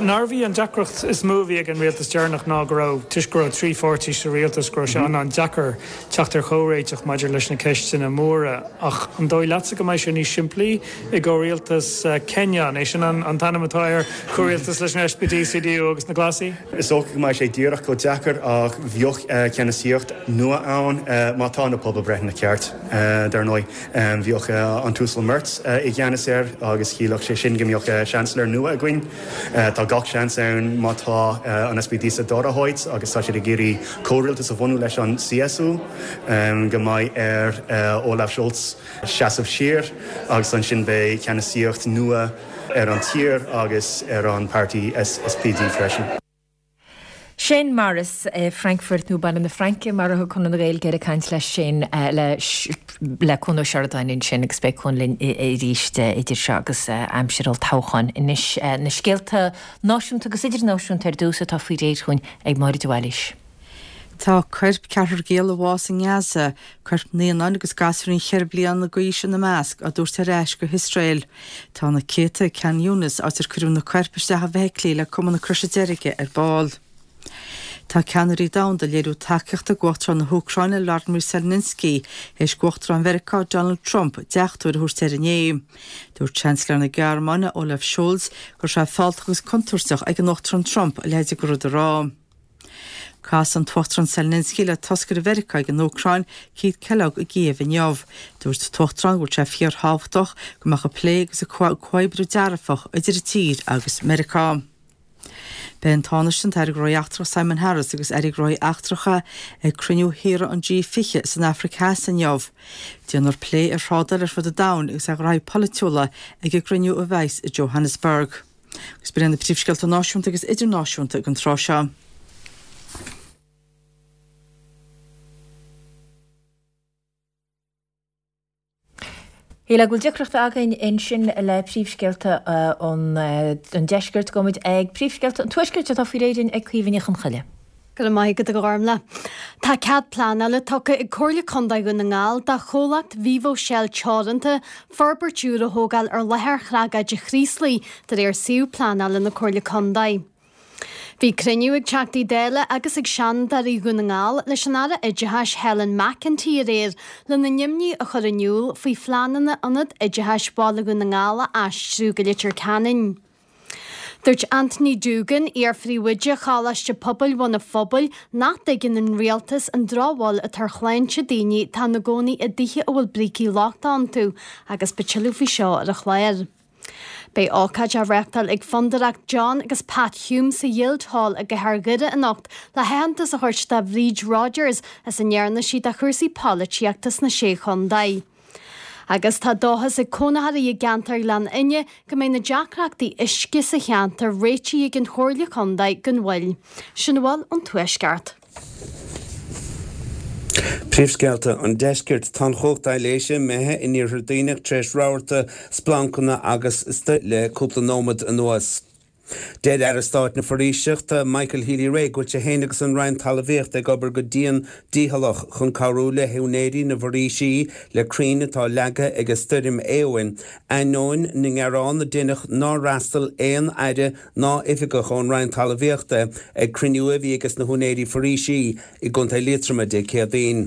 Nárbh í an deacracht is mó a bhí ag an rialtas deireanach ná go raibh, toisc go raibh trí pháirtí sa rialtas, go raibh sé an-an-deacair teacht ar chomhréiteach maidir leis na ceisteanna móra. Ach an dóigh leatsa go mbeidh sé níos simplí i gcomhrialtas Kenya, an é sin an t-ainm atá air, comhrialtas leis an SPD, CDU agus na Glasaigh? Is dócha go mbeidh sé díreach chomh deacair ach bheadh ceannasaíocht nua ann má tá na pobalbhreitheanna ceart. Dar ndóigh, bheadh an tUasal Merz i gceannas air agus chiallódh sé sin go mbeadh Seansailéir nua againn. Tá gach seans ann má tá an SPD sa dara háit agus tá siad ag iarraidh comhrialtas a bhunú leis an CSU go mbeidh ar Olaf Scholz seasamh siar agus ansin beidh ceannasaíocht nua ar an tír agus ar an páirtí SPD freisin. Shane Morris i Frankfurt nó Baile na Fraince mar a thug Conradh na Gaeilge air ag caint leis sin le le Cuan Ó Seireadáin ansin agus beidh Cuan linn arís idir seo agus aimsir olltoghcháin. Anois na scéalta náisiúnta agus idirnáisiúnta ar dtús atá faoi réir chugainn ag Máire de Bhailís. Tá coirp ceathrar giall a bhásaigh i nGaza, coirp naíonáin agus gasúirín cheithre bliana d'aois ina measc, á dtabhairt ar ais go hIosrael. Tá na céadta i Khan Younis, áit ar cuireadh na coirp isteach i bhfeithiclí le Cumann na Croise Deirge ar ball. Tá ceannairí domhanda ag léiriú tacaíochta d'Uachtarán na hÚcráine Vladimir Zelensky théis d'Uachtarán Mheiriceá Donald Trump deachtóir a thabhairt air inné. Dúirt Seansailéir na Gearmáine Olaf Scholz go raibh sé fealltach agus contúirteach ag an Uachtarán Trump a leithéid de rud a rá. Casfaidh an tUachtarán Zelensky le toscaire Mheiriceá ag an Úcráin, Keith Kellogg i gCív inniu. Dúirt an tUachtarán go bhfuil sé fíorthábhachtach go mbeadh an plé agus an comhoibriú dearfach idir an tír agus Meiriceá. Beidh an Tánaiste, an tAire Gnóthaí Eachtracha Simon Harris agus Airí Gnóthaí Eachtracha ag cruinniú thíortha an G fiche san Afraic Theas inniu. Déanfar plé ar thrádáil ar fud an domhain agus ar ghraithí polaitiúla ag an gcruinniú a bheas i Johannesburg. Agus b'in iad na príomhscéalta náisiúnta agus idirnáisiúnta ag an tráth seo. Shílfeá go bhfuil deacracht againn ansin le príomhscéalta an deiscirt. Gabhfaimid ag príomhscéalta an tuaiscirt atá faoi réir ag Caoimhe Ní Chonchoille. Go raibh maith agat a Ghormlaith. Tá cead pleanála tugtha ag Comhairle Contae Dhún na nGall do chomhlacht Vivo Shell Teoranta forbairt úr a thógáil ar láthair thragóide Chraoslaigh de réir suíomh pleanála na Comhairle Contae. Bhí cruinniú ag Teachtaí Dála agus ag Seanadóirí Dhún na nGall leis an Aire Oideachais Helen McEntee aréir lena n-imní a chur in iúl faoi phleananna Ionad Oideachais Bhaile Dhún na nGall a aistriú go Leitir Ceanainn. Dúirt Anthony Doogan, iar-phríomhoide Choláiste Pobail Bhun an Phobail, nach dtuigeann an rialtas an drochbhail atá ar shláinte daoine atá ina gcónaí i dtithe a bhfuil brící lochtacha iontu agus beidh tuilleadh faoi seo ar an chlár. Beidh ócáid á reáchtáil ag Fondúireacht John agus Pat Hume sa Ghuildhall i gcathair Dhoire anocht le haitheantas a thabhairt do Bhríd Rodgers as a ndearna sí do chúrsaí polaitíochta sna Sé Chontae. Agus tá dóchas ag cónaitheoirí i gceantar Ghleann Fhinne go mbeidh na deacrachtaí uisce sa cheantar réitithe ag an Chomhairle Contae gan mhoill. Sin a bhfuil ón Tuaisceart. Príomhscéalta an Deiscirt Tá an chumhacht aibhléise imithe in iarthar Duibhneach tar éis rabharta splancanna agus stoirme le cúpla nóiméad anuas. Deir Aire Stáit na Foraoiseachta Michael Healy-Rae go bhfuil sé féin agus an Roinn Talmhaíochta ag obair go dian dícheallach chun cabhrú le húinéirí na bhforaoisí le crainn atá leagtha ag an stoirm Éowyn, ainneoin na ngearán a deineadh nár fhreastail aon aire ná oifigeach ón Roinn Talmhaíochta ag cruinniú a bhí aige na húinéirí foraoisí i gContae Liatroma Dé Céadaoin.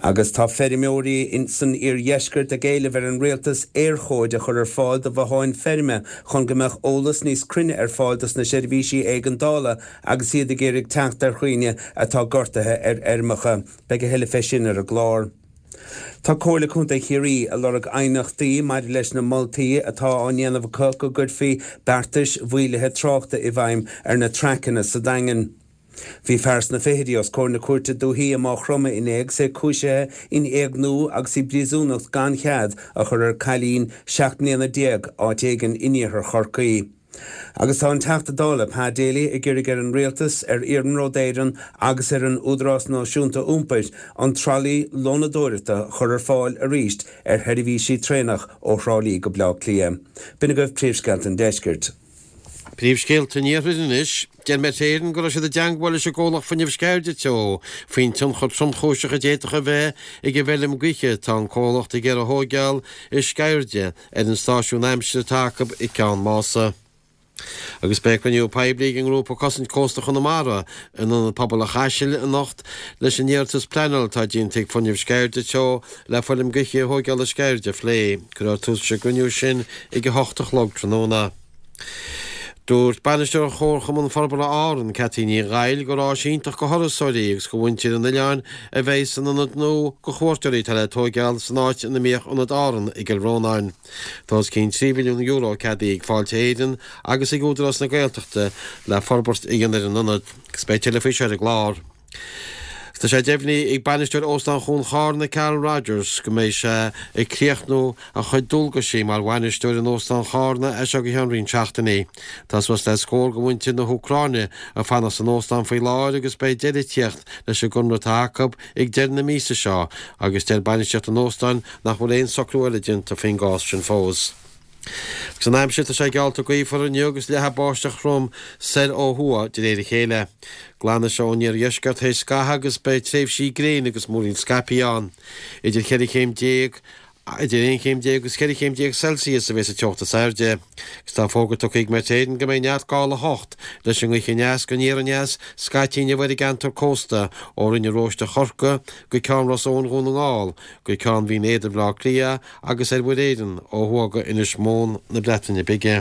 Agus tá feirmeoirí san iardheisceart ag éileamh ar an rialtas éirchóid a chur ar fáil do bhotháin feirme chun go mbeadh eolas níos cruinne ar fáil dos na seirbhísí éigeandála agus iad ag iarraidh teacht ar dhaoine atá gortaithe ar fheirmeacha. Beidh a thuilleadh fé sin ar an gclár. Tá Comhairle Contae Chiarraí ag lorg aighneachtaí maidir leis na moltaí atá á ndéanamh acu go gcuirfí beartais mhaolaithe tráchta i bhfeidhm ar na traiceanna sa Daingean. Bhí fear sna fichidí os comhair na cúirte dúichí i Maigh Chromtha inné agus é cúisithe in éigniú agus i bpríosúnacht gan chead a chur ar cailín seacht mbliana déag áit éigin in iarthar Chorcaí. Agus tá an Teachta Dála Pa Daly ag iarraidh ar an Rialtas, ar Iarnród Éireann agus ar an Údarás Náisiúnta Iompair an tralaí lónadóireachta a chur ar fáil arís ar sheirbhísí traenach ó Thrá Lí go Bleá Cliath. B'in agaibh príomhscéalta an deiscirt. Príomhscéalta an iarthair anois. Deir Met Éireann go raibh siad i dteangmháil leis an gcomhlacht fuinnimh Sceirde Teo faoin tionchar tromchúiseach a d'fhéadfadh a bheith ag an bhfeilm gaoithe atá an comhlacht ag iarraidh a thóigeáil i Sceirde ar an stáisiún aimsire atá acu i gCeann Mása. Agus beidh cruinniú poiblí ag an ngrúpa Cosaint Cósta Chonamara in Ionad Pobail an Chaisil anocht leis an iarratas pleanála atá déanta ag Fuinneamh Sceirde Teo le feilm gaoithe a thóigeáil i Sceirde a phlé. Cuirfear tús leis an gcruinniú sin ag a hocht a chlog tráthnóna. Dúirt Bainisteoir Chomharchumann Forbartha Árann, Cathy Ní Ghaill, gur áis iontach go thurasóirí agus go mhuintir an oileáin a bheidh san ionad nua go chuairteoirí atá le tóigeáil san áit ina mbíodh Ionad Árann i gCill Rónáin. Tá os cionn trí mhilliún euro ceadaithe ag Fáilte Éireann agus ag Údarás na Gaeltachta le forbairt a dhéanamh ar an ionad agus beidh tuilleadh faoi seo ar an gclár. Tá sé deimhnithe ag bainisteoir Óstán Chuan Charna, Carl Rogers, go mbeidh sé ag críochnú a chuid dualgaisí mar bhainisteoir in Óstán Charna as seo go ceann roinnt seachtainí. Tá suas le scór de mhuintir na hÚcráine ag fanacht san óstán faoi láthair agus beidh deireadh ag tíocht leis an gconradh atá acu ag deireadh na míosa seo agus deir bainistíocht an óstáin nach bhfuil aon socrú eile déanta faoin gcás sin fós. Agus an aimsir, tá sé geallta gaofar inniu agus leathfaidh báisteach throm soir ó thuaidh de réir a chéile. Glanfaidh sé ón iardheisceart théis scaitheamh agus beidh tréimhsí gréine agus múraíl scaipthe ann. Idir cheithre chéim déag idir aon chéim déag agus ceithre chéim déag Celsius a bheas an teocht is airde. Agus tá fógra tugtha ag Met Éireann go mbeidh neart gála a hocht leis an ngaoth aneas go aniar aneas scaití inniu ar an gceantar cósta ó Rinn an Róiste Chorcaí go Ceann Ros Eoghain Dhún na nGall go Ceann Bhinn Éadair Bhaile Átha Cliath agus ar Mhuir Éireann ó thuaidh go Inis Món na Breataine Bige.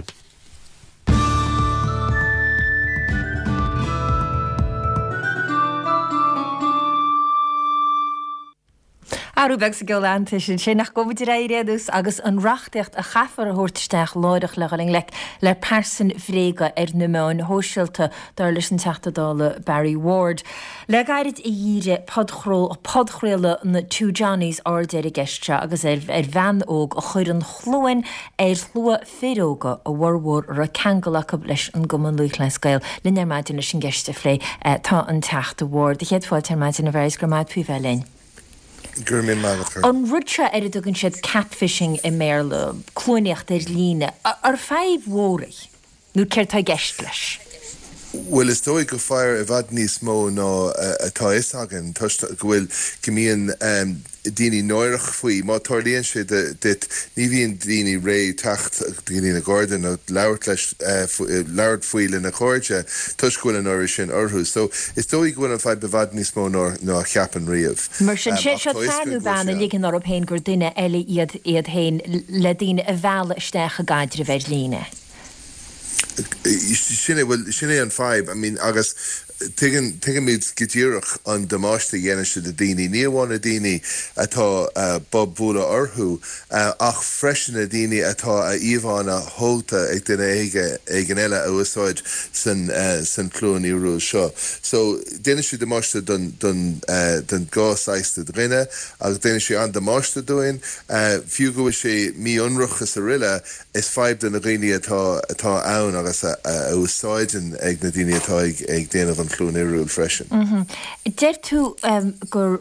Athrú beag sa gceol aitheantais ansin ach gabhfaidh muid ar aghaidh ar aon nós agus an reachtaíocht a chaithfear a thabhairt isteach láithreach le dhul i ngleic le pearsain bhréige ar na meáin shóisialta, dar leis an Teachta Dála Barry Ward. Le gairid a dhírigh podchraoladh na Two Johnnies aird ar an gceist seo agus ar bhean óg a chuir an chluain ar shlua fir óga, a bhformhór a raibh ceangal acu leis an gCumann Lúthchleas Gael. Linn ar maidin leis an gceist a phlé tá an Teachta Ward. Céad fáilte ar maidin a Bharry is go raibh maith agat faoi bheith linn. Go raibh míle maith agat. An rud seo ar a dtugann siad catfishing i mBéarla, cluanaíocht ar líne, ar fadhb mhór í? Nó céard tá i gceist leis? Bhuel, is dóigh gur fadhb i bhfad níos mó ná atá fhios againn, toisc go bhfuil, go mbíonn daoine náireach faoi. Má tarlaíonn sé duit, ní bhíonn daoine réidh teacht go dtí na Gardaí nó labhairt leis, labhairt faoi lena chairde toisc go bhfuil an náire sin orthu. So, is dóigh go bhfuil an fadhb i bhfad níos mó ná ná a cheapann riamh. Mar sin, sé seo fear nó bean a ligeann orthu féin gur duine eile iad iad féin le daoine a mhealladh isteach i gcaidreamh ar líne. Sin é, bhuel, sin é an fadhb. I mean, agus tuigeann, tuigimid go díreach an damáiste a dhéanann sé do daoine, ní amháin na daoine atá bob bualadh orthu, ach freisin na daoine atá a íomhánna tógtha ag duine éigin eile a úsáid san, san chluain fhíorúil seo. So, déanann sé damáiste don, don, don dhá saghas de dhuine agus déanann sé an-damáiste dúinn, fiú go bhfuil sé mí-ionraic is aroile, Is fadhb do na dhaoine atá atá ann agus a úsáideann ag na daoine atá ag ag déanamh don chluain ioruach freisin. Deir tú gur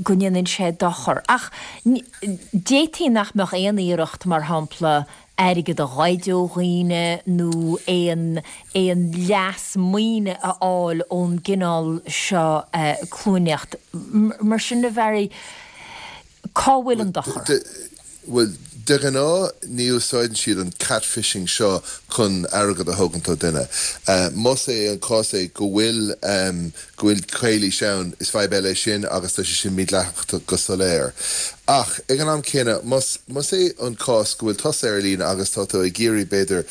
go ndéanann sé dochar, ach d'fhéadfaí nach mbeadh aon iarracht, mar shampla, airgead a ghoid ó dhaoine nó aon aon leas maoine a fháil ón gcineál seo cluanaíocht. Mar sin, a Bharry, cá bhfuil an dochar? Bhuel, de ghnáth ní úsáideann siad an catfishing seo chun airgead a thógaint ó duine. Más é an cás é go bhfuil go bhfuil calaois ann, is fadhb eile é sin agus tá sé sin mídhleathach go soiléir. Ach ag an am céanna, más más é an cás go bhfuil tusa ar líne agus tá tú ag iarraidh b'fhéidir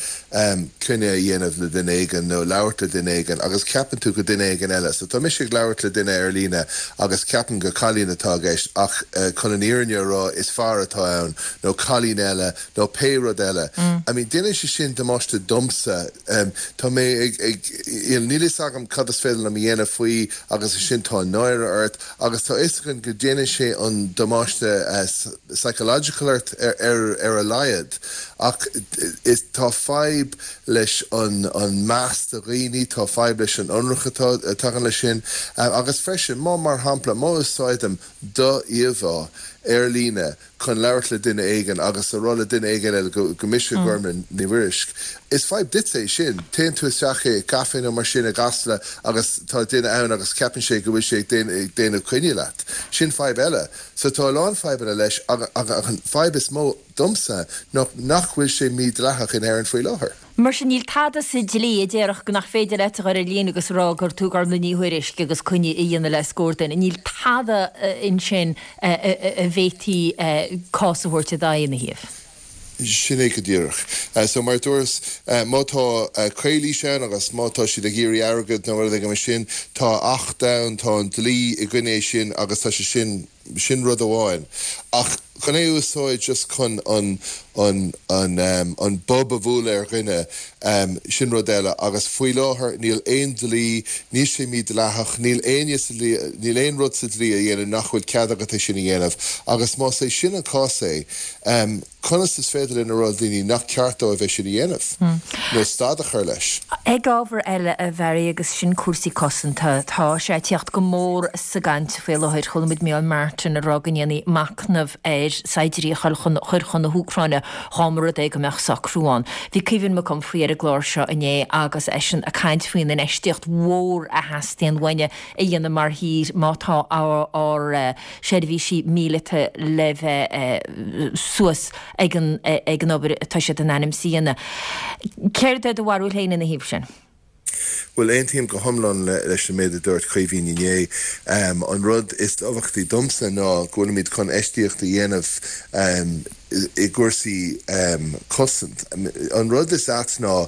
coinne a dhéanamh le duine éigin nó labhairt le duine éigin agus ceapann tú go duine éigin eile. So tá mise ag labhairt le duine ar líne agus ceapaim gur cailín atá i gceist ach chun an fhírinne a rá is fear atá ann nó cailín eile nó pé rud eile. I mean déanann sé sin damáiste domsa. Tá mé ag ag níl fhios agam cad is féidir liom a dhéanamh faoi agus ansin tá náire ort agus tá fhios againn go déanann sé an damáiste psychological ort ar ar a laghad ach is tá fadhb leis an an meas do dhaoine, tá fadhb leis an ionrach atá a tagann leis sin agus freisin má mar shampla má úsáidim do íomhá ar líne chun labhairt le duine éigin agus a rá le duine éigin eile go go mise Gormlaith Ní Mhuirisc. Is fadhb duit é sin. Téann tú isteach i gcaife nó mar sin i gCasla agus tá duine ann agus ceapann sé go bhfuil sé ag déanamh coinne leat. Sin fadhb eile. So tá a lán fadhbanna leis ach an fadhb is mó domsa ná nach bhfuil sé mídhleathach in Éirinn faoi láthair. Mar sin níl tada sa dlí a déarfadh go nach féidir leat a dhul ar líne agus a rá gur tú Gormlaith Ní Thuairisg agus coinne a dhéanamh le scór duine. Níl tada ansin a bhféadfaí cás a thabhairt i d'aghaidh ina thaobh. Sin é go díreach. So mar a dúras, má tá calaois ann agus má tá siad ag iarraidh airgead nó rud éigin mar sin, tá acht ann, tá an dlí i gcoinne sin agus tá sé sin, sin rud amháin. Ach chun é a úsáid just chun an, an, an, an bob a bhualadh ar dhuine, sin rud eile. Agus faoi láthair níl aon dlí, níl sé mídhleathach, níl éinne sa dlí, níl aon rud sa dlí a dhéanann nach bhfuil cead agat é sin a dhéanamh. Agus más é sin an cás é, conas is féidir linn a rá le daoine nach ceart dóibh é sin a dhéanamh nó stad a chur leis? Ag ábhar eile, a Bharry, agus sin cúrsaí cosanta, tá sé ag tíocht go mór sa gcaint faoi láthair. Chuala muid Micheál Martin ag rá go ndéanfaí machnamh ar saighdiúirí a chur chun na hÚcráine dá mba rud é go mbeadh socrú ann. Bhí Caoimhín Mac Unfraidh ar an gclár seo inné agus eisean ag caint faoin infheistíocht mhór a theastaíonn uainne a dhéanamh mar thír má tá ár seirbhísí míleata le bheith suas ag an ag an obair atá siad in ainm is a dhéanamh. Céard é do bharúil féin ina thaobh sin? Bhuel, aontaím go hiomlán leis an méid a dúirt Caoimhín inné. An rud is tábhachtaí domsa ná go bhfuilimid chun infheistíocht a dhéanamh i gcúrsaí cosaint. An rud is ait ná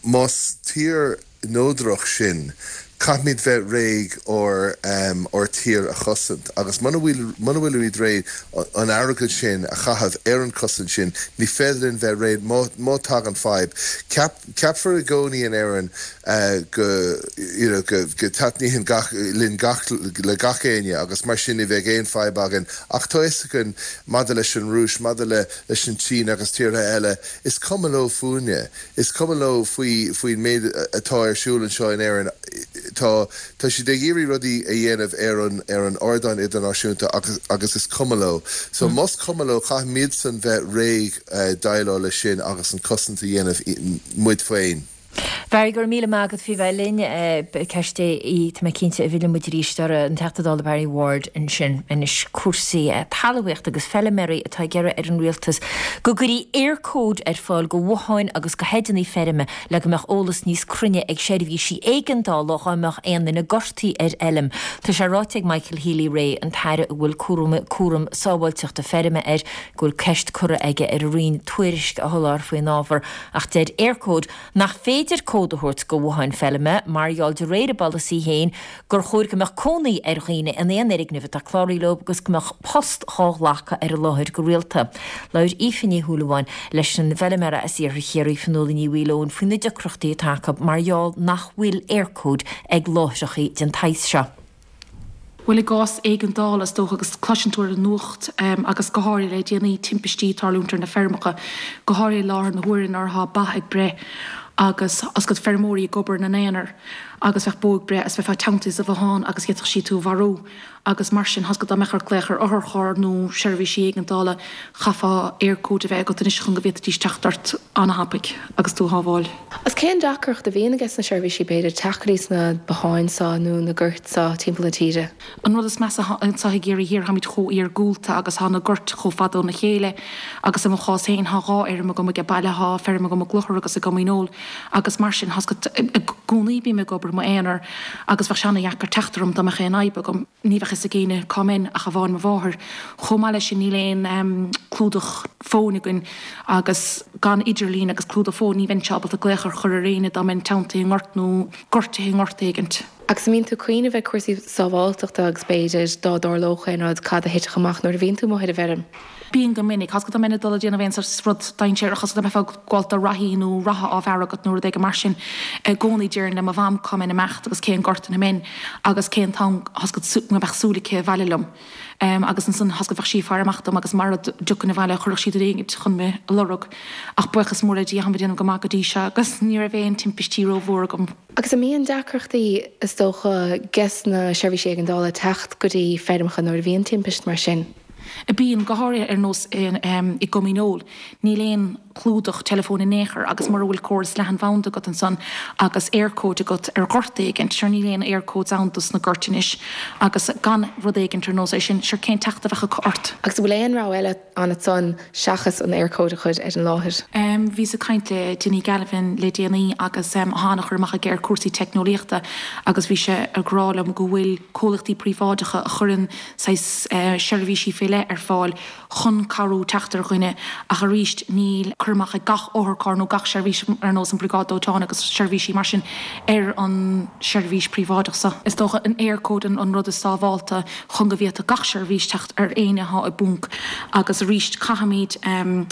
más tír neodrach sinn, caithfimid bheith réidh ár ár tír a chosaint agus muna bhfuil muna bhfuilimid réidh an airgead sin a chaitheamh ar an chosaint sin, ní féidir linn bheith réidh má má tagann fadhb. Ceap ceapfar i gcónaí in Éirinn go you know go go taitníonn gach linn gach le gach éinne agus mar sin ní bheidh aon fadhb againn ach tá fhios againn maidir leis an Rúis, maidir le leis an tSín agus tíortha eile, is cuma leo fúinne. Is cuma leo faoi faoin méid atá ar siúl anseo in Éirinn. Tá tá siad ag iarraidh rudaí a dhéanamh ar an ar an ardán idirnáisiúnta agus agus is cuma leo. So más cuma leo caithfimidsan bheith réidh déileáil leis sin agus an cosaint a dhéanamh muid féin. Barry, go raibh míle maith agat faoi bheith linn. Ceist í, tá mé cinnte, a bhfillfidh muid arís uirthi, an Teachta Dála Barry Ward ansin. Anois cúrsaí talmhaíochta agus feilméaraí atá ag iarraidh ar an Rialtas go gcuirfí Eircode ar fáil go bhotháin agus go heideanna feirme le go mbeadh eolas níos cruinne ag seirbhísí éigeandála dhá mbeadh aon duine gortaithe ar fheilm. Tá sé ráite ag Michael Healy-Rae, an tAire a bhfuil cúram cúram sábháilteachta feirme air, go bhfuil ceist curtha aige ar a Roinn tuairisc a sholáthar faoin ábhar ach deir Eircode nach féidir cód a thabhairt go bhotháin feilme mar gheall de réir a bpolasaí féin gur chóir go mbeadh cónaí ar dhaoine in aon fhoirgneamh atá cláraithe leo agus go mbeadh post dhá ghlacadh ar an láthair go rialta. Labhair Aoife Ní Shúilleabháin leis an bhfeilméara as Iarthar Chiarraí, Fionnuala Ní Mhaoileoin, faoi na deacrachtaí atá acu mar gheall nach bhfuil Eircode ag láithreacha den tsaghas seo. Bhuel, i gcás éigeandála, is dócha, agus cloiseann tú ar an nuacht agus go háirithe le déanaí timpistí ag tarlúint ar na feirmeacha, go háirithe i láthair na huaire nuair atá ba ag breith agus oscailt feirmeoirí ag obair ina n-aonar agus bheadh bó ag breith is bheifeá teanntaithe sa bhothán agus d'fhéadfadh sí tú a mharú agus mar sin thoscaigh dá mbeadh ort glaoch ar otharcharr nó seirbhísí éigeandála chaithfeá Eircode a bheith agat anois chun go bhféadfaidís teacht ort an-thapaidh agus tú a shábháil. Agus cén deacracht a bhíonn ages na seirbhísí b'fhéidir teacht go dtí sna botháin seo nó na goirt seo timpeall na tíre? An rud is measa anseo i gCiarraí Thiar táimid chomh iargúlta agus tá na goirt chomh fada óna chéile agus i mo chás féin tá dhá fheirm agam age baile, tá feirm agam i gClochar agus i gCom Dhíneol agus mar sin thoscaigh i gcónaí bím ag obair i m'aonar agus bheadh sé ana-dheacair teacht orm dá mbeadh aon fhadhb agam. Ní bheadh fhios ag éinne cá mbeinn ach amháin mo mháthair. Chomh maith leis sin níl aon clúdach fóin againn agus gan idirlíon agus clúdach fóin ní bheinnse ábalta glaoch a chur ar éinne dá mbeinn teanntaithe i ngort nó gortaithe i ngort éigint. Agus an mbíonn tú ag cuimhneamh ar cúrsaí sábháilteachta agus b'fhéidir dá dtarlódh aon rud cad a thitfeadh amach nuair a bhíonn tú amuigh ar an bhfeirm? Bíonn go minic. Thoscaigh dá mbeinn ag dul ag déanamh aon sórt rud dainséarach, thoscaigh dá mbeifeá ag gabháil do reathaí nó reatha á bhearradh agat nó rud éigin mar sin. I gcónaí déarfainn le mo mham cá mbeinn ag imeacht agus cén gort ina mbeinn agus cén t-am thoscaigh go mbeadh súil aici abhaile liom. Agus ansan thoscaigh bheadh sí ag faire amach dom agus mara dtiocfainn abhaile chuirfeadh sí duine éigint chun mé a lorg. Ach buíochas mór le Dia táim ag déanamh go maith go dtí seo agus ní raibh aon timpistí rómhór agam. Agus an mbíonn deacrachtaí, is dócha, ges na seirbhísí éigeandála teacht go dtí feirmeacha nuair a bhíonn timpist mar sin? Bíonn, go háirithe ar nós i gCom Dhíneol. Níl aon chlúdach teileafóin in aon chor agus mura bhfuil córas leathanbhanda agat ansan agus Eircode agat ar ghort éigint, sure níl aon Eircodes ann dos na goirt anois agus gan rud éigint ar nós é sin, sure cén teacht a bheadh acu ort? Agus an bhfuil aon rogha eile ann ansan seachas an Eircode a chur ar an láthair? Bhíos ag caint le Dinny Galvin le déanaí agus tá an-chur amach aige ar cúrsaí teicneolaíochta agus bhí sé ag rá liom go bhfuil comhlachtaí príobháideacha a chuireann saghas seirbhísí faoi leith ar fáil chun cabhrú teacht ar dhuine ach arís níl cur amach ag gach otharcharr nó gach seirbhís ar nós an Briogáid Dóiteáin agus seirbhísí mar sin ar an seirbhís príobháideach seo. Is dócha an Eircode an rud is sábhálta chun go bhféadfadh gach seirbhís teacht ar éinne atá i bponc agus arís caithfimid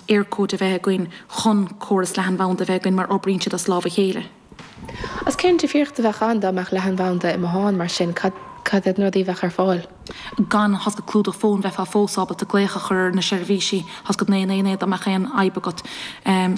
Eircode a bheith againn chun córas leathanbhanda a bheith againn mar oibríonn siad as lámh a chéile. Agus cén difríocht a bheadh ann dá mbeadh leathanbhanda i mbothán mar sin? Cad cad iad na rudaí a bheadh ar fáil? Gan thosca clúdach fóin bheifeá fós ábalta glaoch a chur ar na seirbhísí, thosca naoi naoi naoi dá mbeadh aon fhadhb agat.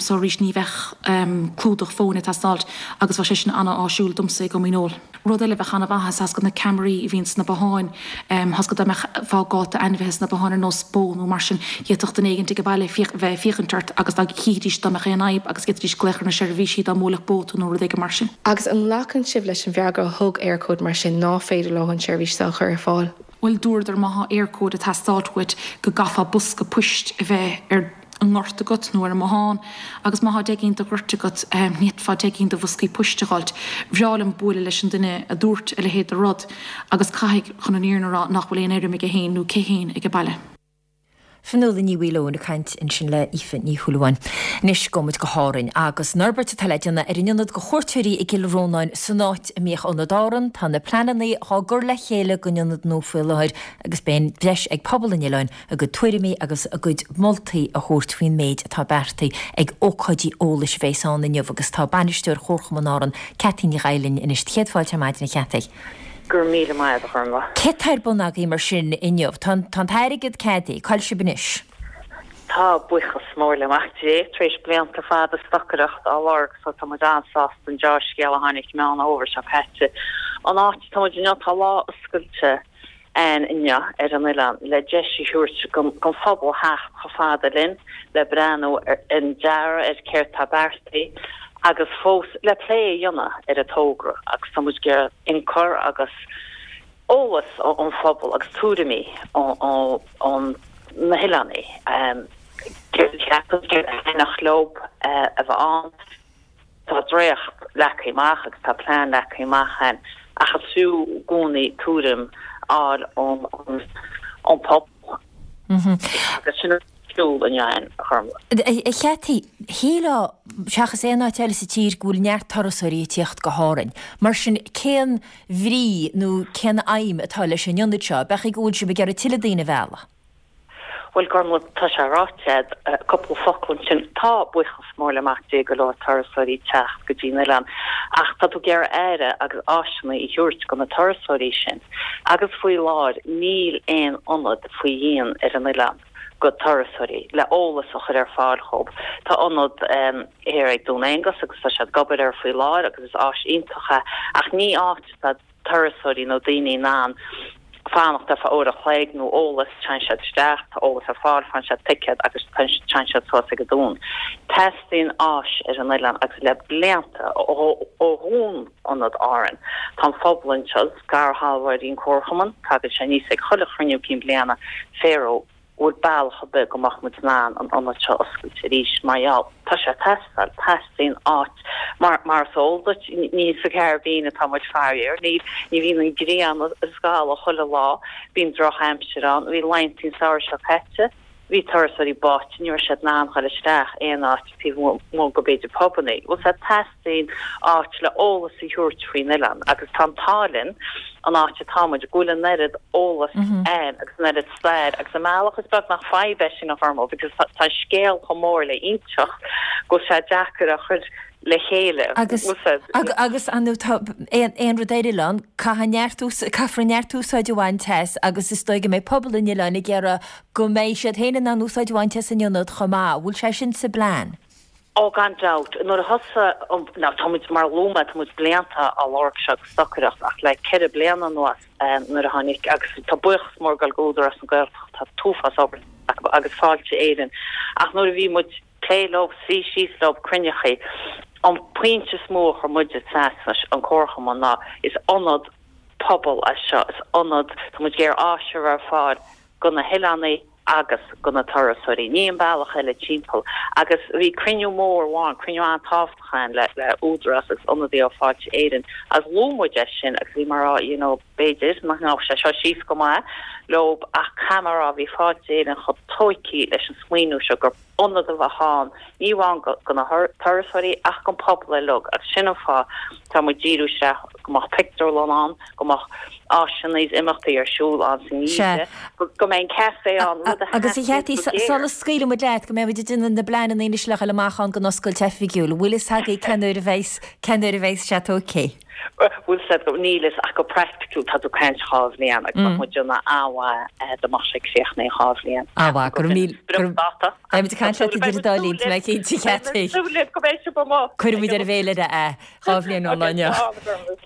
So arís ní bheadh clúdach fóin ag teastáilt agus bheadh sé sin an-áisiúil domsa i gCom Dhíneol. Rud eile a bheadh an-mhaith is thosca na ceamaraí a bhíonn sna botháin, thosca dá mbeifeá ag gabháil d'ainmhithe sna botháin ar nós bó nó mar sin, d'fhéadfadh duine éigin ag an baile bheith ag féachaint ort agus dá chífidís dá mbeadh aon fhadhb agus d'fhéadfaidís glaoch ar na seirbhísí dá mbuailfeadh bó tú nó rud éigin mar sin. Agus an nglacann sibh leis an bhfreagra a thug Eircode mar sin ná féidir leo an tseirbhís seo a chur ar fáil? Bhuel, dúradar má thá Eircode ag teastáilt uait go gcaithfeá bosca poist a bheith ar an ngort agat nó ar an mbothán agus má thá deich gcinn de ghoirt agat ní fhéadfá deich gcinn de bhoscaí poist a dh'fháilt. Bhreá liom bualadh leis an duine a dúirt a leithéid de rud agus caithfidh chun an fhírinne a rá nach bhfuil aon fheirm aige féin nó aici féin ag an baile. Fionnuala Ní Mhaoileoin ag caint ansin le Aoife Ní Shúilleabháin. Anois gabhfaidh muid go hÁrainn agus an fhorbairt atá le déanamh ar an ionad do chuairteoirí i gCill Rónáin san áit a mbíodh Ionad Árann. Tá na pleananna á gcur le chéile don ionad nua faoi láthair agus beidh an deis ag pobal an oileáin a gcuid tuairimí agus a gcuid moltaí a thabhairt faoin méid atá beartaithe ag ócáidí eolais a bheas ann inniu agus tá bainisteoir Chomharchumann Árann, Ceaití Ní Dhaill linn anois. Céad fáilte ar maidin a Cheaití. Go raibh míle maith agat, a Ghormfhlaith. Céard atá ar bun agaibh mar sin inniu? Tá an t-airgead ceadaithe, cá bhfuil sibh anois? Tá, buíochas mór le Mac Dé, tar éis blianta fada stocaireacht á lorg so tá muid an-sásta an deá-scéal a tháinig Meán Fhómhair seo caite. An áit atá muid inniu, tá lá oscailte ann inniu ar an oileán le deis a thabhairt don phobal theacht chomh fada linn le breathnú ar an dearadh, ar céard tá beartaithe agus fós le plé a dhéanamh ar an togra agus tá muid ag iarraidh ionchur agus eolas ón phobal agus tuairimí ó na hoileánaigh, céard a cheapann, céard a thaitneodh leo a bheith ann. Tá dréacht leagtha amach agus tá plean leagtha amach againn ach is fiú i gcónaí tuairim a fháil ón phobal agus sin ar siúl inniu againn, a Ghormfhlaith. A Cheaití, shílfeá, seachas aon áit eile sa tír, go bhfuil neart turasóirí ag tíocht go hÁrainn. Mar sin, cén bhrí nó cén aidhm atá leis an ionad seo? B'fhéidir go bhfuil sibh ag iarraidh tuilleadh daoine a mhealladh? Bhuel, Gormfhlaith, tá sé ráite a'd, cúpla focal ansin. Tá, buíochas mór le Mac Dé, go leor turasóirí ag teacht go dtí an oileán, ach tá tú ag iarraidh aire agus áiseanna a thabhairt do na turasóirí sin. Agus faoi láthair níl aon ionad faoi dhíon ar an oileán go turasóirí le eolas a chur ar fáil dhóibh. Tá ionad thiar ag Dún Aonghasa agus tá siad ag obair air faoi láthair agus is áis iontach é ach ní áit atá turasóirí nó daoine in ann fanacht ar feadh uair a chloig nó eolas, téann siad isteach, tá eolas ar fáil, faigheann siad ticéad agus téann siad suas ag an dún. Teastaíonn áis ar an oileán agus le blianta, ó dhún Ionad Árann, tá an phobal anseo, scairshealbhóirí an Comharchumann, tagann sé aníos ag chuile chruinniú cinn bliana, Pharaoh, bhfuil bealach ar bith go mbeadh muid in ann an ionad seo a oscailt arís mar gheall tá sé ag teastáil, teastaíonn áit mar mar is eol duit ní sa Chairibbean atá muid faraor, ní ní bhíonn an ghrian ag scalladh chuile lá, bíonn drochaimsir ann, bhí laethanta an samhradh seo caite, bhí turasóirí báite, ní raibh siad in ann dhul isteach aon áit taobh amuigh go b'fhéidir pubannaí, bhfuil 's a'd teastaíonn áit le eolas a thabhairt faoin oileán agus tá an t-ádh linn an áit atá muid, go bhfuil an oiread eolas ann agus an oiread stair agus i mbealach is beag nach fadhb é sin a Ghormfhlaith because tá an scéal chomh mór le inseacht go bhfuil sé deacair a chur le chéile. Agus agus an tá aon rud ar oileán, caithfidh neart caithfear neart úsáid a bhaint as agus is dóigh go mbeidh pobal an oileáin ag iarraidh go mbeidh siad féin in ann úsáid a bhaint as an ionad chomh maith. Bhfuil sé sin sa bplean? Ó gan dabht. Nuair a thosaigh an, now tá muid, mar a luaigh mé, tá muid blianta á lorg seo ag stocaireacht ach le ceithre bliana anuas nuair a tháinig, agus tá buíochas mór ag dul go Údarás na Gaeltachta, tá t-uafás obair acu agus Fáilte Éireann ach nuair a bhí muid plé leo, suí síos leo, cruinneachaí, an pointe is mó a chuir muide trasna, an Comharchumann ná is ionad pobail é seo, is ionad, tá muid ag iarraidh áis a chur ar fáil go na hoileánaigh, agus go na turasóirí. Ní an bealach eile timpeall. Agus bhí cruinniú mór amháin, cruinniú an-tábhachtach ann le le Údarás agus ionadaí ó Fáilte Éireann agus luaigh muid é sin agus bhí mar á you know b'fhéidir nach ngabhadh sé seo síos go maith leob ach caithfidh mé a rá bhí Fáilte Éireann chomh tóigthe leis an smaoineamh seo gur ionad a bheadh ann, ní amháin go na turasóirí ach don pobal uilig agus sin an fáth tá muid díriú isteach go mbeadh pictiúrlann ann, go mbeadh áiseanna is imeachtaí ar siúl ann san Sea. oíche, go mbeidh an café ann, rud a Agus a theastaíonn Cheaití, go géar. sula scaoilfidh muid leat, go mbeidh muid ag déanamh na bpleananna anois le dhul amach ann don oscailt oifigiúil, bhfuil fhios agaibh cén uair a bheas, cén uair a bheas sé tógtha? Bhfuil fhios agat, níl fhios ach go praiticiúil tá tú ag caint dhá bhliain agus bheadh muid ag déanamh an-mhaith dá mbeadh sé críochnaithe in dhá bhliain. An-mhaith, go raibh míle, go raibh, Dáta. beidh muid ag caint leat idir an dá linn, tá mé cinnte, Cheaití. Súil go mbeidh sibh amuigh. Cuirfidh muid ar an bhféilire é, dhá bhliain ón lá inniu.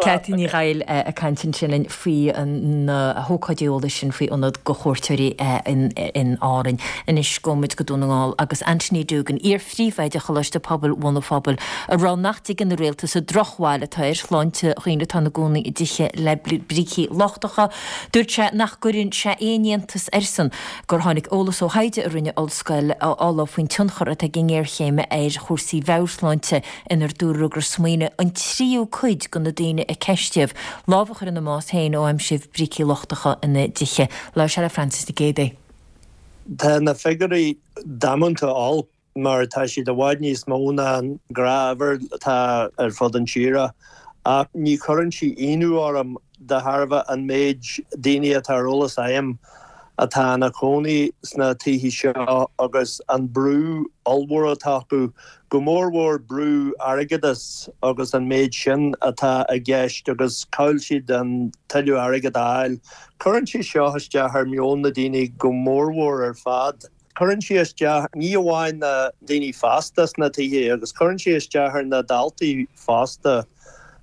Ceaití Ní Dhaill ag caint ansin linn faoi na hócáidí eolais sin faoi ionad go chuairteoirí in Árainn. Anois gabhfaidh muid go Dún na nGall agus Anthony Doogan, iar-phríomhoide Choláiste Pobail Bhun an Phobail, ag rá nach dtuigeann an rialtas an drochbhail atá ar shláinte dhaoine atá ina gcónaí i dtithe le brící lochtacha. Dúirt sé nach gcuireann sé aon iontas airsean gur tháinig eolas ó thaighde a rinne Ollscoil Uladh faoin tionchar atá ag an ngéarchéim ar chúrsaí mheabhairshláinte inar dúradh gur smaoinigh an tríú cuid de na daoine a ceistíodh lámh a chur ina mbás féin ó aimsíodh brící lochtacha ina dtithe. Labhair sé le Francis Nic Géadaigh. Tá na figiúirí damanta olc mar tá siad i bhfad níos mó ná an gnáthuimhir atá ar fud an tíre ach ní chuireann sí ionadh orm de thairbhe an méid daoine atá ar eolas agam atá ina chónaí sna tithe seo agus an brú ollmhór atá acu, go mórmhór brú airgeadais agus an méid sin atá i gceist agus cá bhfuil siad an tuilleadh airgead a fháil. Cuireann sé seo isteach ar meon na daoine go mórmhór ar fad. Cuireann sé isteach ní amháin na daoine fásta sna tithe agus cuireann sé isteach ar na daltaí fosta.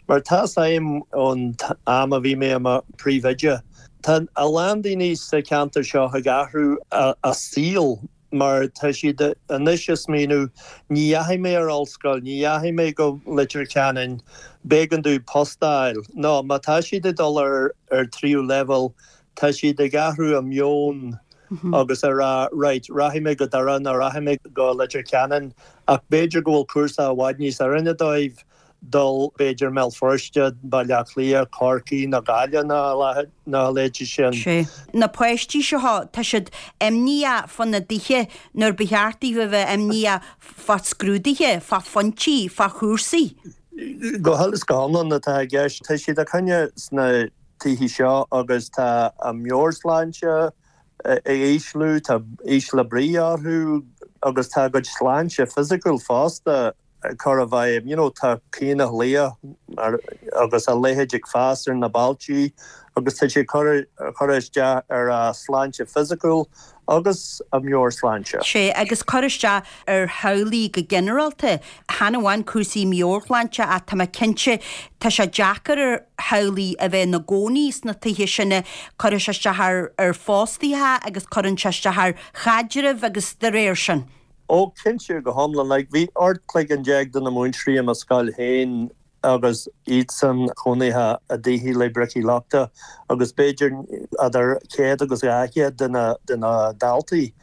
Mar tá 'fhios agam ón am a bhí mé i mo phríomhoide, tá a lán daoine sa cheantar seo ag athrú a saol mar tá siad anois ag smaoineamh ní dheachaigh mé ar ollscoil, ní dheachaigh mé go Leitir Ceanainn, b'éigean domh post a fháil. Nó má tá siad ag dul ar ar tríú leibhéal, tá siad ag athrú a meon agus a rá right, rachaidh mé go Doire nó rachaidh mé go Leitir Ceanainn ach b'fhéidir go bhfuil cúrsa i bhfad níos oiriúnaí dóibh dul b'fhéidir mBéal Feirste, Baile Átha Cliath, Corcaigh nó Gaillimh nó a leithéidí sin. Sea. Na páistí seo, tá siad imníoch fá na dtithe nuair ba cheart daofa a bheith imníoch fá scrúduithe, fá phointí, fá chúrsaí. Go huile is go hiomlán atá i gceist. Tá siad ina gcónaí sna tithe seo agus tá a meabhairshláinte ag ísliú, tá ísle brí orthu agus tá a gcuid sláinte fisiciúil fosta ag cur i bhfeidhm. You know, tá caonach liath agus a leithéid ag fás ar na bailtí agus tá sé cur cur isteach ar a sláinte fisiciúil agus a meabhairshláinte. Sé agus cur isteach ar theaghlaigh go ginearálta, chan amháin cúrsaí meabhairshláinte ach tá mé cinnte tá sé deacair ar theaghlaigh a bheith ina gcónaí sna tithe sin, cuireann sé isteach ar ar fostaithe agus cuireann sé isteach ar chaidrimh agus de réir sin. Ó cinnte go hiomlán, like bhí ocht cloigeann déag de na múinteoirí i mo scoil féin agus iadsan cónaithe i dtithe le bricí lochta agus b'fhéidir idir céad agus dhá chéad de na de na daltaí.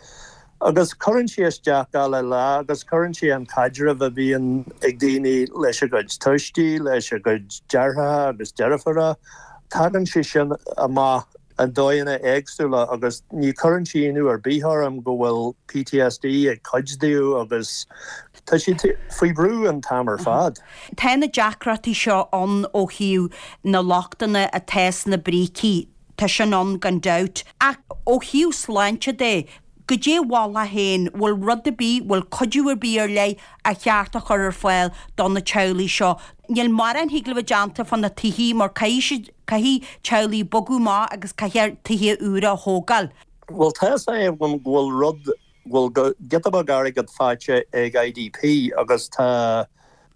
Agus cuireann sé isteach gach lá agus cuireann sé an caidreamh a bhíonn ag daoine leis a gcuid tuistí, leis a gcuid deartháireacha agus deirfiúra, tagann sé sin amach i ndóigheanna éagsúla agus ní chuireann sé ionadh ar bith orm go bhfuil PTSD ag cuid díobh agus tá siad faoi bhrú an t-am ar fad. Tá na deacrachtaí seo ann ó thaobh na lochtanna atá sna brící, tá sin ann gan dabht. Ach ó thaobh sláinte de, goidé a mholfá féin, bhfuil rud ar bith, bhfuil cuidiú ar bith ar leith a cheart a chur ar fáil do na teaghlaigh seo? Níl mórán thig le bheith déanta fá na tithe mar caithfidh siad, caithfidh teaghlaigh bogadh amach agus caithfear tithe úra a thógáil. Bhuel tá a fhios agam go bhfuil rud, go bhfuil giota beag airgead faighte ag IDP agus tá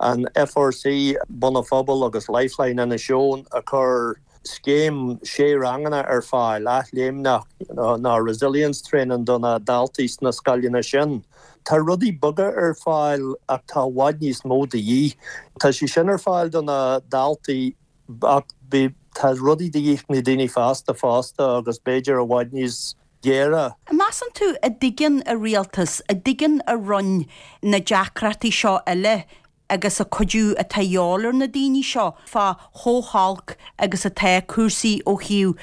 an FRC, Bun an Phobail agus Lifeline Inis Eoghain ag cur scéim sé ranganna ar fáil, athléimneacht nó resilience training do na daltaí sna scoileanna sin. Tá rudaí beaga ar fáil ach tá i bhfad níos mó de dhíth. Tá sé sin ar fáil do na daltaí ach tá rudaí de dhíth na daoine fásta fosta agus b'fhéidir i bhfad níos géire. Measann tú a dtuigeann a rialtas, a dtuigeann a roinn na deacrachtaí seo uile agus a cuidiú atá a dhíobháil ar na daoine seo fá chomh holc agus atá cúrsaí ó thaobh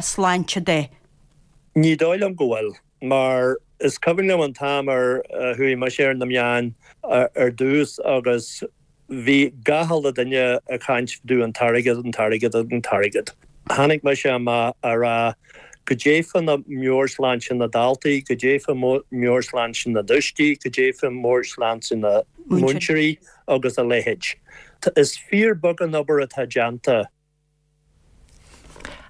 sláinte de? Ní dóigh liom go bhfuil, mar is cuimhin liom an t-am ar chuaigh mise ar na meáin ar dtús agus bhí gach uile duine ag caint fá dtaobh an t-airgead, an t-airgead, an t-airgead. Tháinig mise amach a rá goidé fá na meabhairshláinte na daltaí, goidé fá meabhairshláinte na dtuistí, goidé fá meabhairshláinte na múinteoirí agus a leithéid. Is fíor beag an obair atá déanta.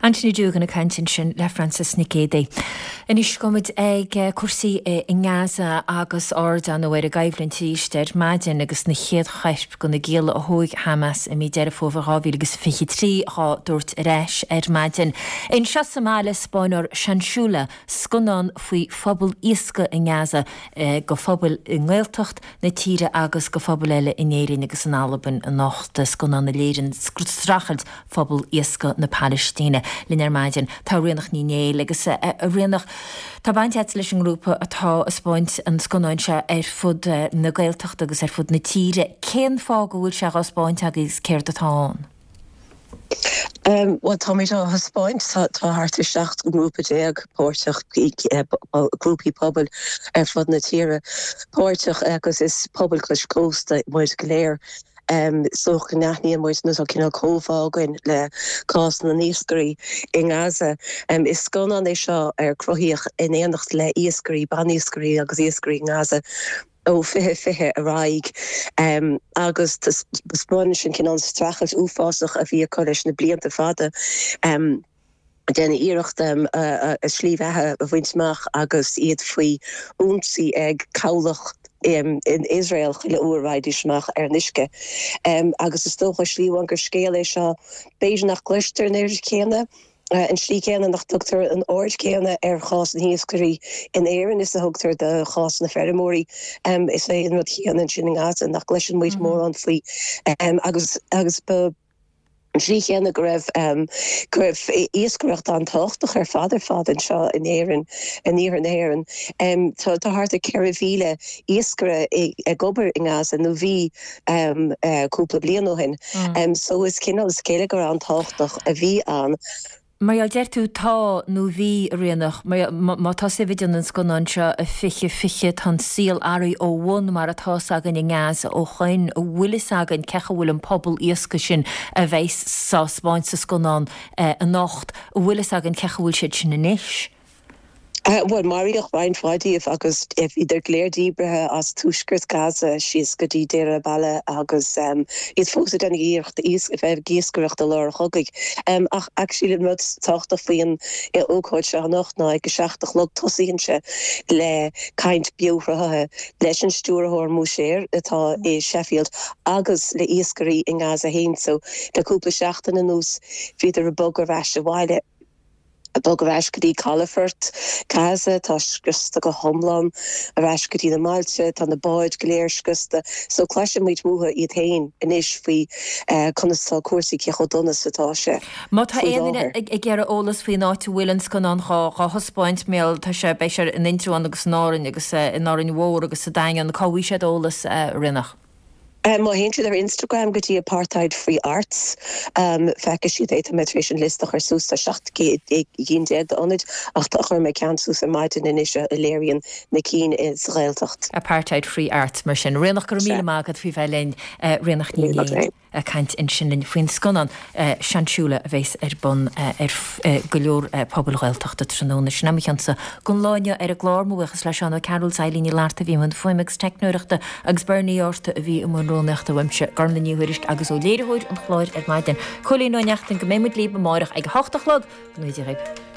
Anthony Doogan ag caint ansin le Frances Nic Géadaigh. Anois gabhfaimid ag cúrsaí i nGaza agus aird ar ndóigh ar an gcoimhlint arís ar maidin agus na chéad choirp de na gialla a thóg Hamas i mí Deireadh Fómhair dhá mhíle agus fiche trí dhá dtabhairt ar ais ar maidin. Anseo sa mbaile 'spáinfear Sansula, scannán faoi phobal iascaigh i nGaza go phobail i nGaeltacht na tíre agus go phobail eile in Éirinn agus in Albain anocht, scannán a léiríonn streachailt phobal iascaigh na Palaistíne. Linn ar maidin tá Ríonach Ní Néill agus a Ríonach, tá baint agat leis an ngrúpa atá ag 'spáint an scannáin seo ar fud na Gaeltachta agus ar fud na tíre. Cén fáth go bhfuil sé á 'spáint agaibh agus céard atá ann? Bhuel táimid á thaispeáint, tá thart ar seacht ngrúpa déag páirteach, grúpaí pobail ar fud na tíre páirteach agus is pobail cois cósta muid go léir. So go n-aithníonn muid nó tá cineál comhbhá againn le cás na n-iascairí i nGaza. Is scannán é seo ar cruthaíodh in éineacht le iascairí, ban-iascairí agus iascairí i nGaza ó fiche fiche ar aghaidh agus taispeánann sin cineál streachailt uafásach a bhí acu leis na blianta fada. Déanamh iarracht a slí bheatha a bhaint amach agus iad faoi ionsaí ag cabhlach in Iosrael chuile uair a raghaidís amach ar an uisce. Agus is dócha, slí amháin gur scéal é seo b'fhéidir nach gcloistear an oiread céanna, an slí chéanna nach dtugtar an aird chéanna ar chás na hiascairí in Éirinn is a thugtar do chás na feirmeoirí. Is é an rud céanna ansin i nGaza nach gcloiseann muid mórán faoi agus agus ba An tslí chéanna go raibh go raibh iascaireacht an-tábhachtach ar fad ar fad anseo in Éirinn, in iarthar na hÉireann. Tá tá thart ar ceithre mhíle iascaire ag obair i nGaza, nó bhí cúpla bliain ó shin. So is cineál is geilleagar an-tábhachtach a bhí ann. Mar a deir tú, tá nó bhí, a Ríonach, má tá sibh ag déanamh an scannáin seo i fiche fiche, tá an saol athraithe ó bhun mar atá 's againn i nGaza ó shoin, an bhfuil fhios againn cé chaoi a bhfuil an pobal iascaigh sin a bheas á 'spáint sa scannán anocht, an bhfuil fhios againn cé chaoi a bhfuil siad sin anois? Bhuel, maraíodh roinnt mhaith díobh agus bhíodar go léir díbrithe as tuaisceart Gaza síos go dtí Deir al-Balah agus iad fós ag déanamh iarracht a bheith ag iascaireacht i lár an chogaidh. Ach actually an rud tábhachtach faoin ócáid seo anocht ná ag a seacht a chlog tosaíonn sé le caint beoshruthaithe leis an stiúrthóir Mosher atá i Sheffield agus le iascairí i nGaza féin. So le cúpla seachtain anuas bhíodar ag bogadh ar ais abhaile. Ag bogadh ar ais go dtí calafort Gaza, tá scriosta go hiomlán, ar ais go dtí na mbailte, tá na báid go léir scriosta. So cloisfimid uathu iad féin anois faoi conas atá cúrsaí, cé chomh dona is atá sé Má tá faoi aon duine láthair. ag iarraidh eolas faoin áit a bhfuil an scannán dhá thaispeáint, mar tá sé, beidh sé in Indreabhán agus in Árainn agus in Árainn Mhór agus sa Daingean, cá bhfaighidh siad eolas, a Ríonach? Má théann siad ar Instagram go dtí Apartheid Free Arts, feicfidh siad é. Tá mé tar éis an liosta a chur suas, tá seacht gcinn déag d'ionaid, ach tá chuir mé ceann suas ar maidin anois a léiríonn na cinn sa Ghaeltacht. Apartheid Free Arts, mar sin. Ríonach, go raibh míle maith agat faoi bheith linn. Ríonach Ní Néill. ag caint ansin linn faoin scannán Seansiúla a bheas ar bun ar go leor pobail Ghaeltachta tráthnóna. Sin é mo chionsa don lá inniu ar an gclár. Mo bhuíochas le Seán Ó Cearúil, Eileen Ní Fhlatharta a bhí i mbun fuaime agus teicneoireachta agus Bernie Orta a bhí i mbun rúnaíochta uaimse, Gormlaith Ní Thuairisg agus ó léiritheoir an chláir ar maidin, Cóilín Ó Neachtain, go mbeidh muid libh amárach ag a hocht a chlog. Go ngnóthaí Dia dhaoibh.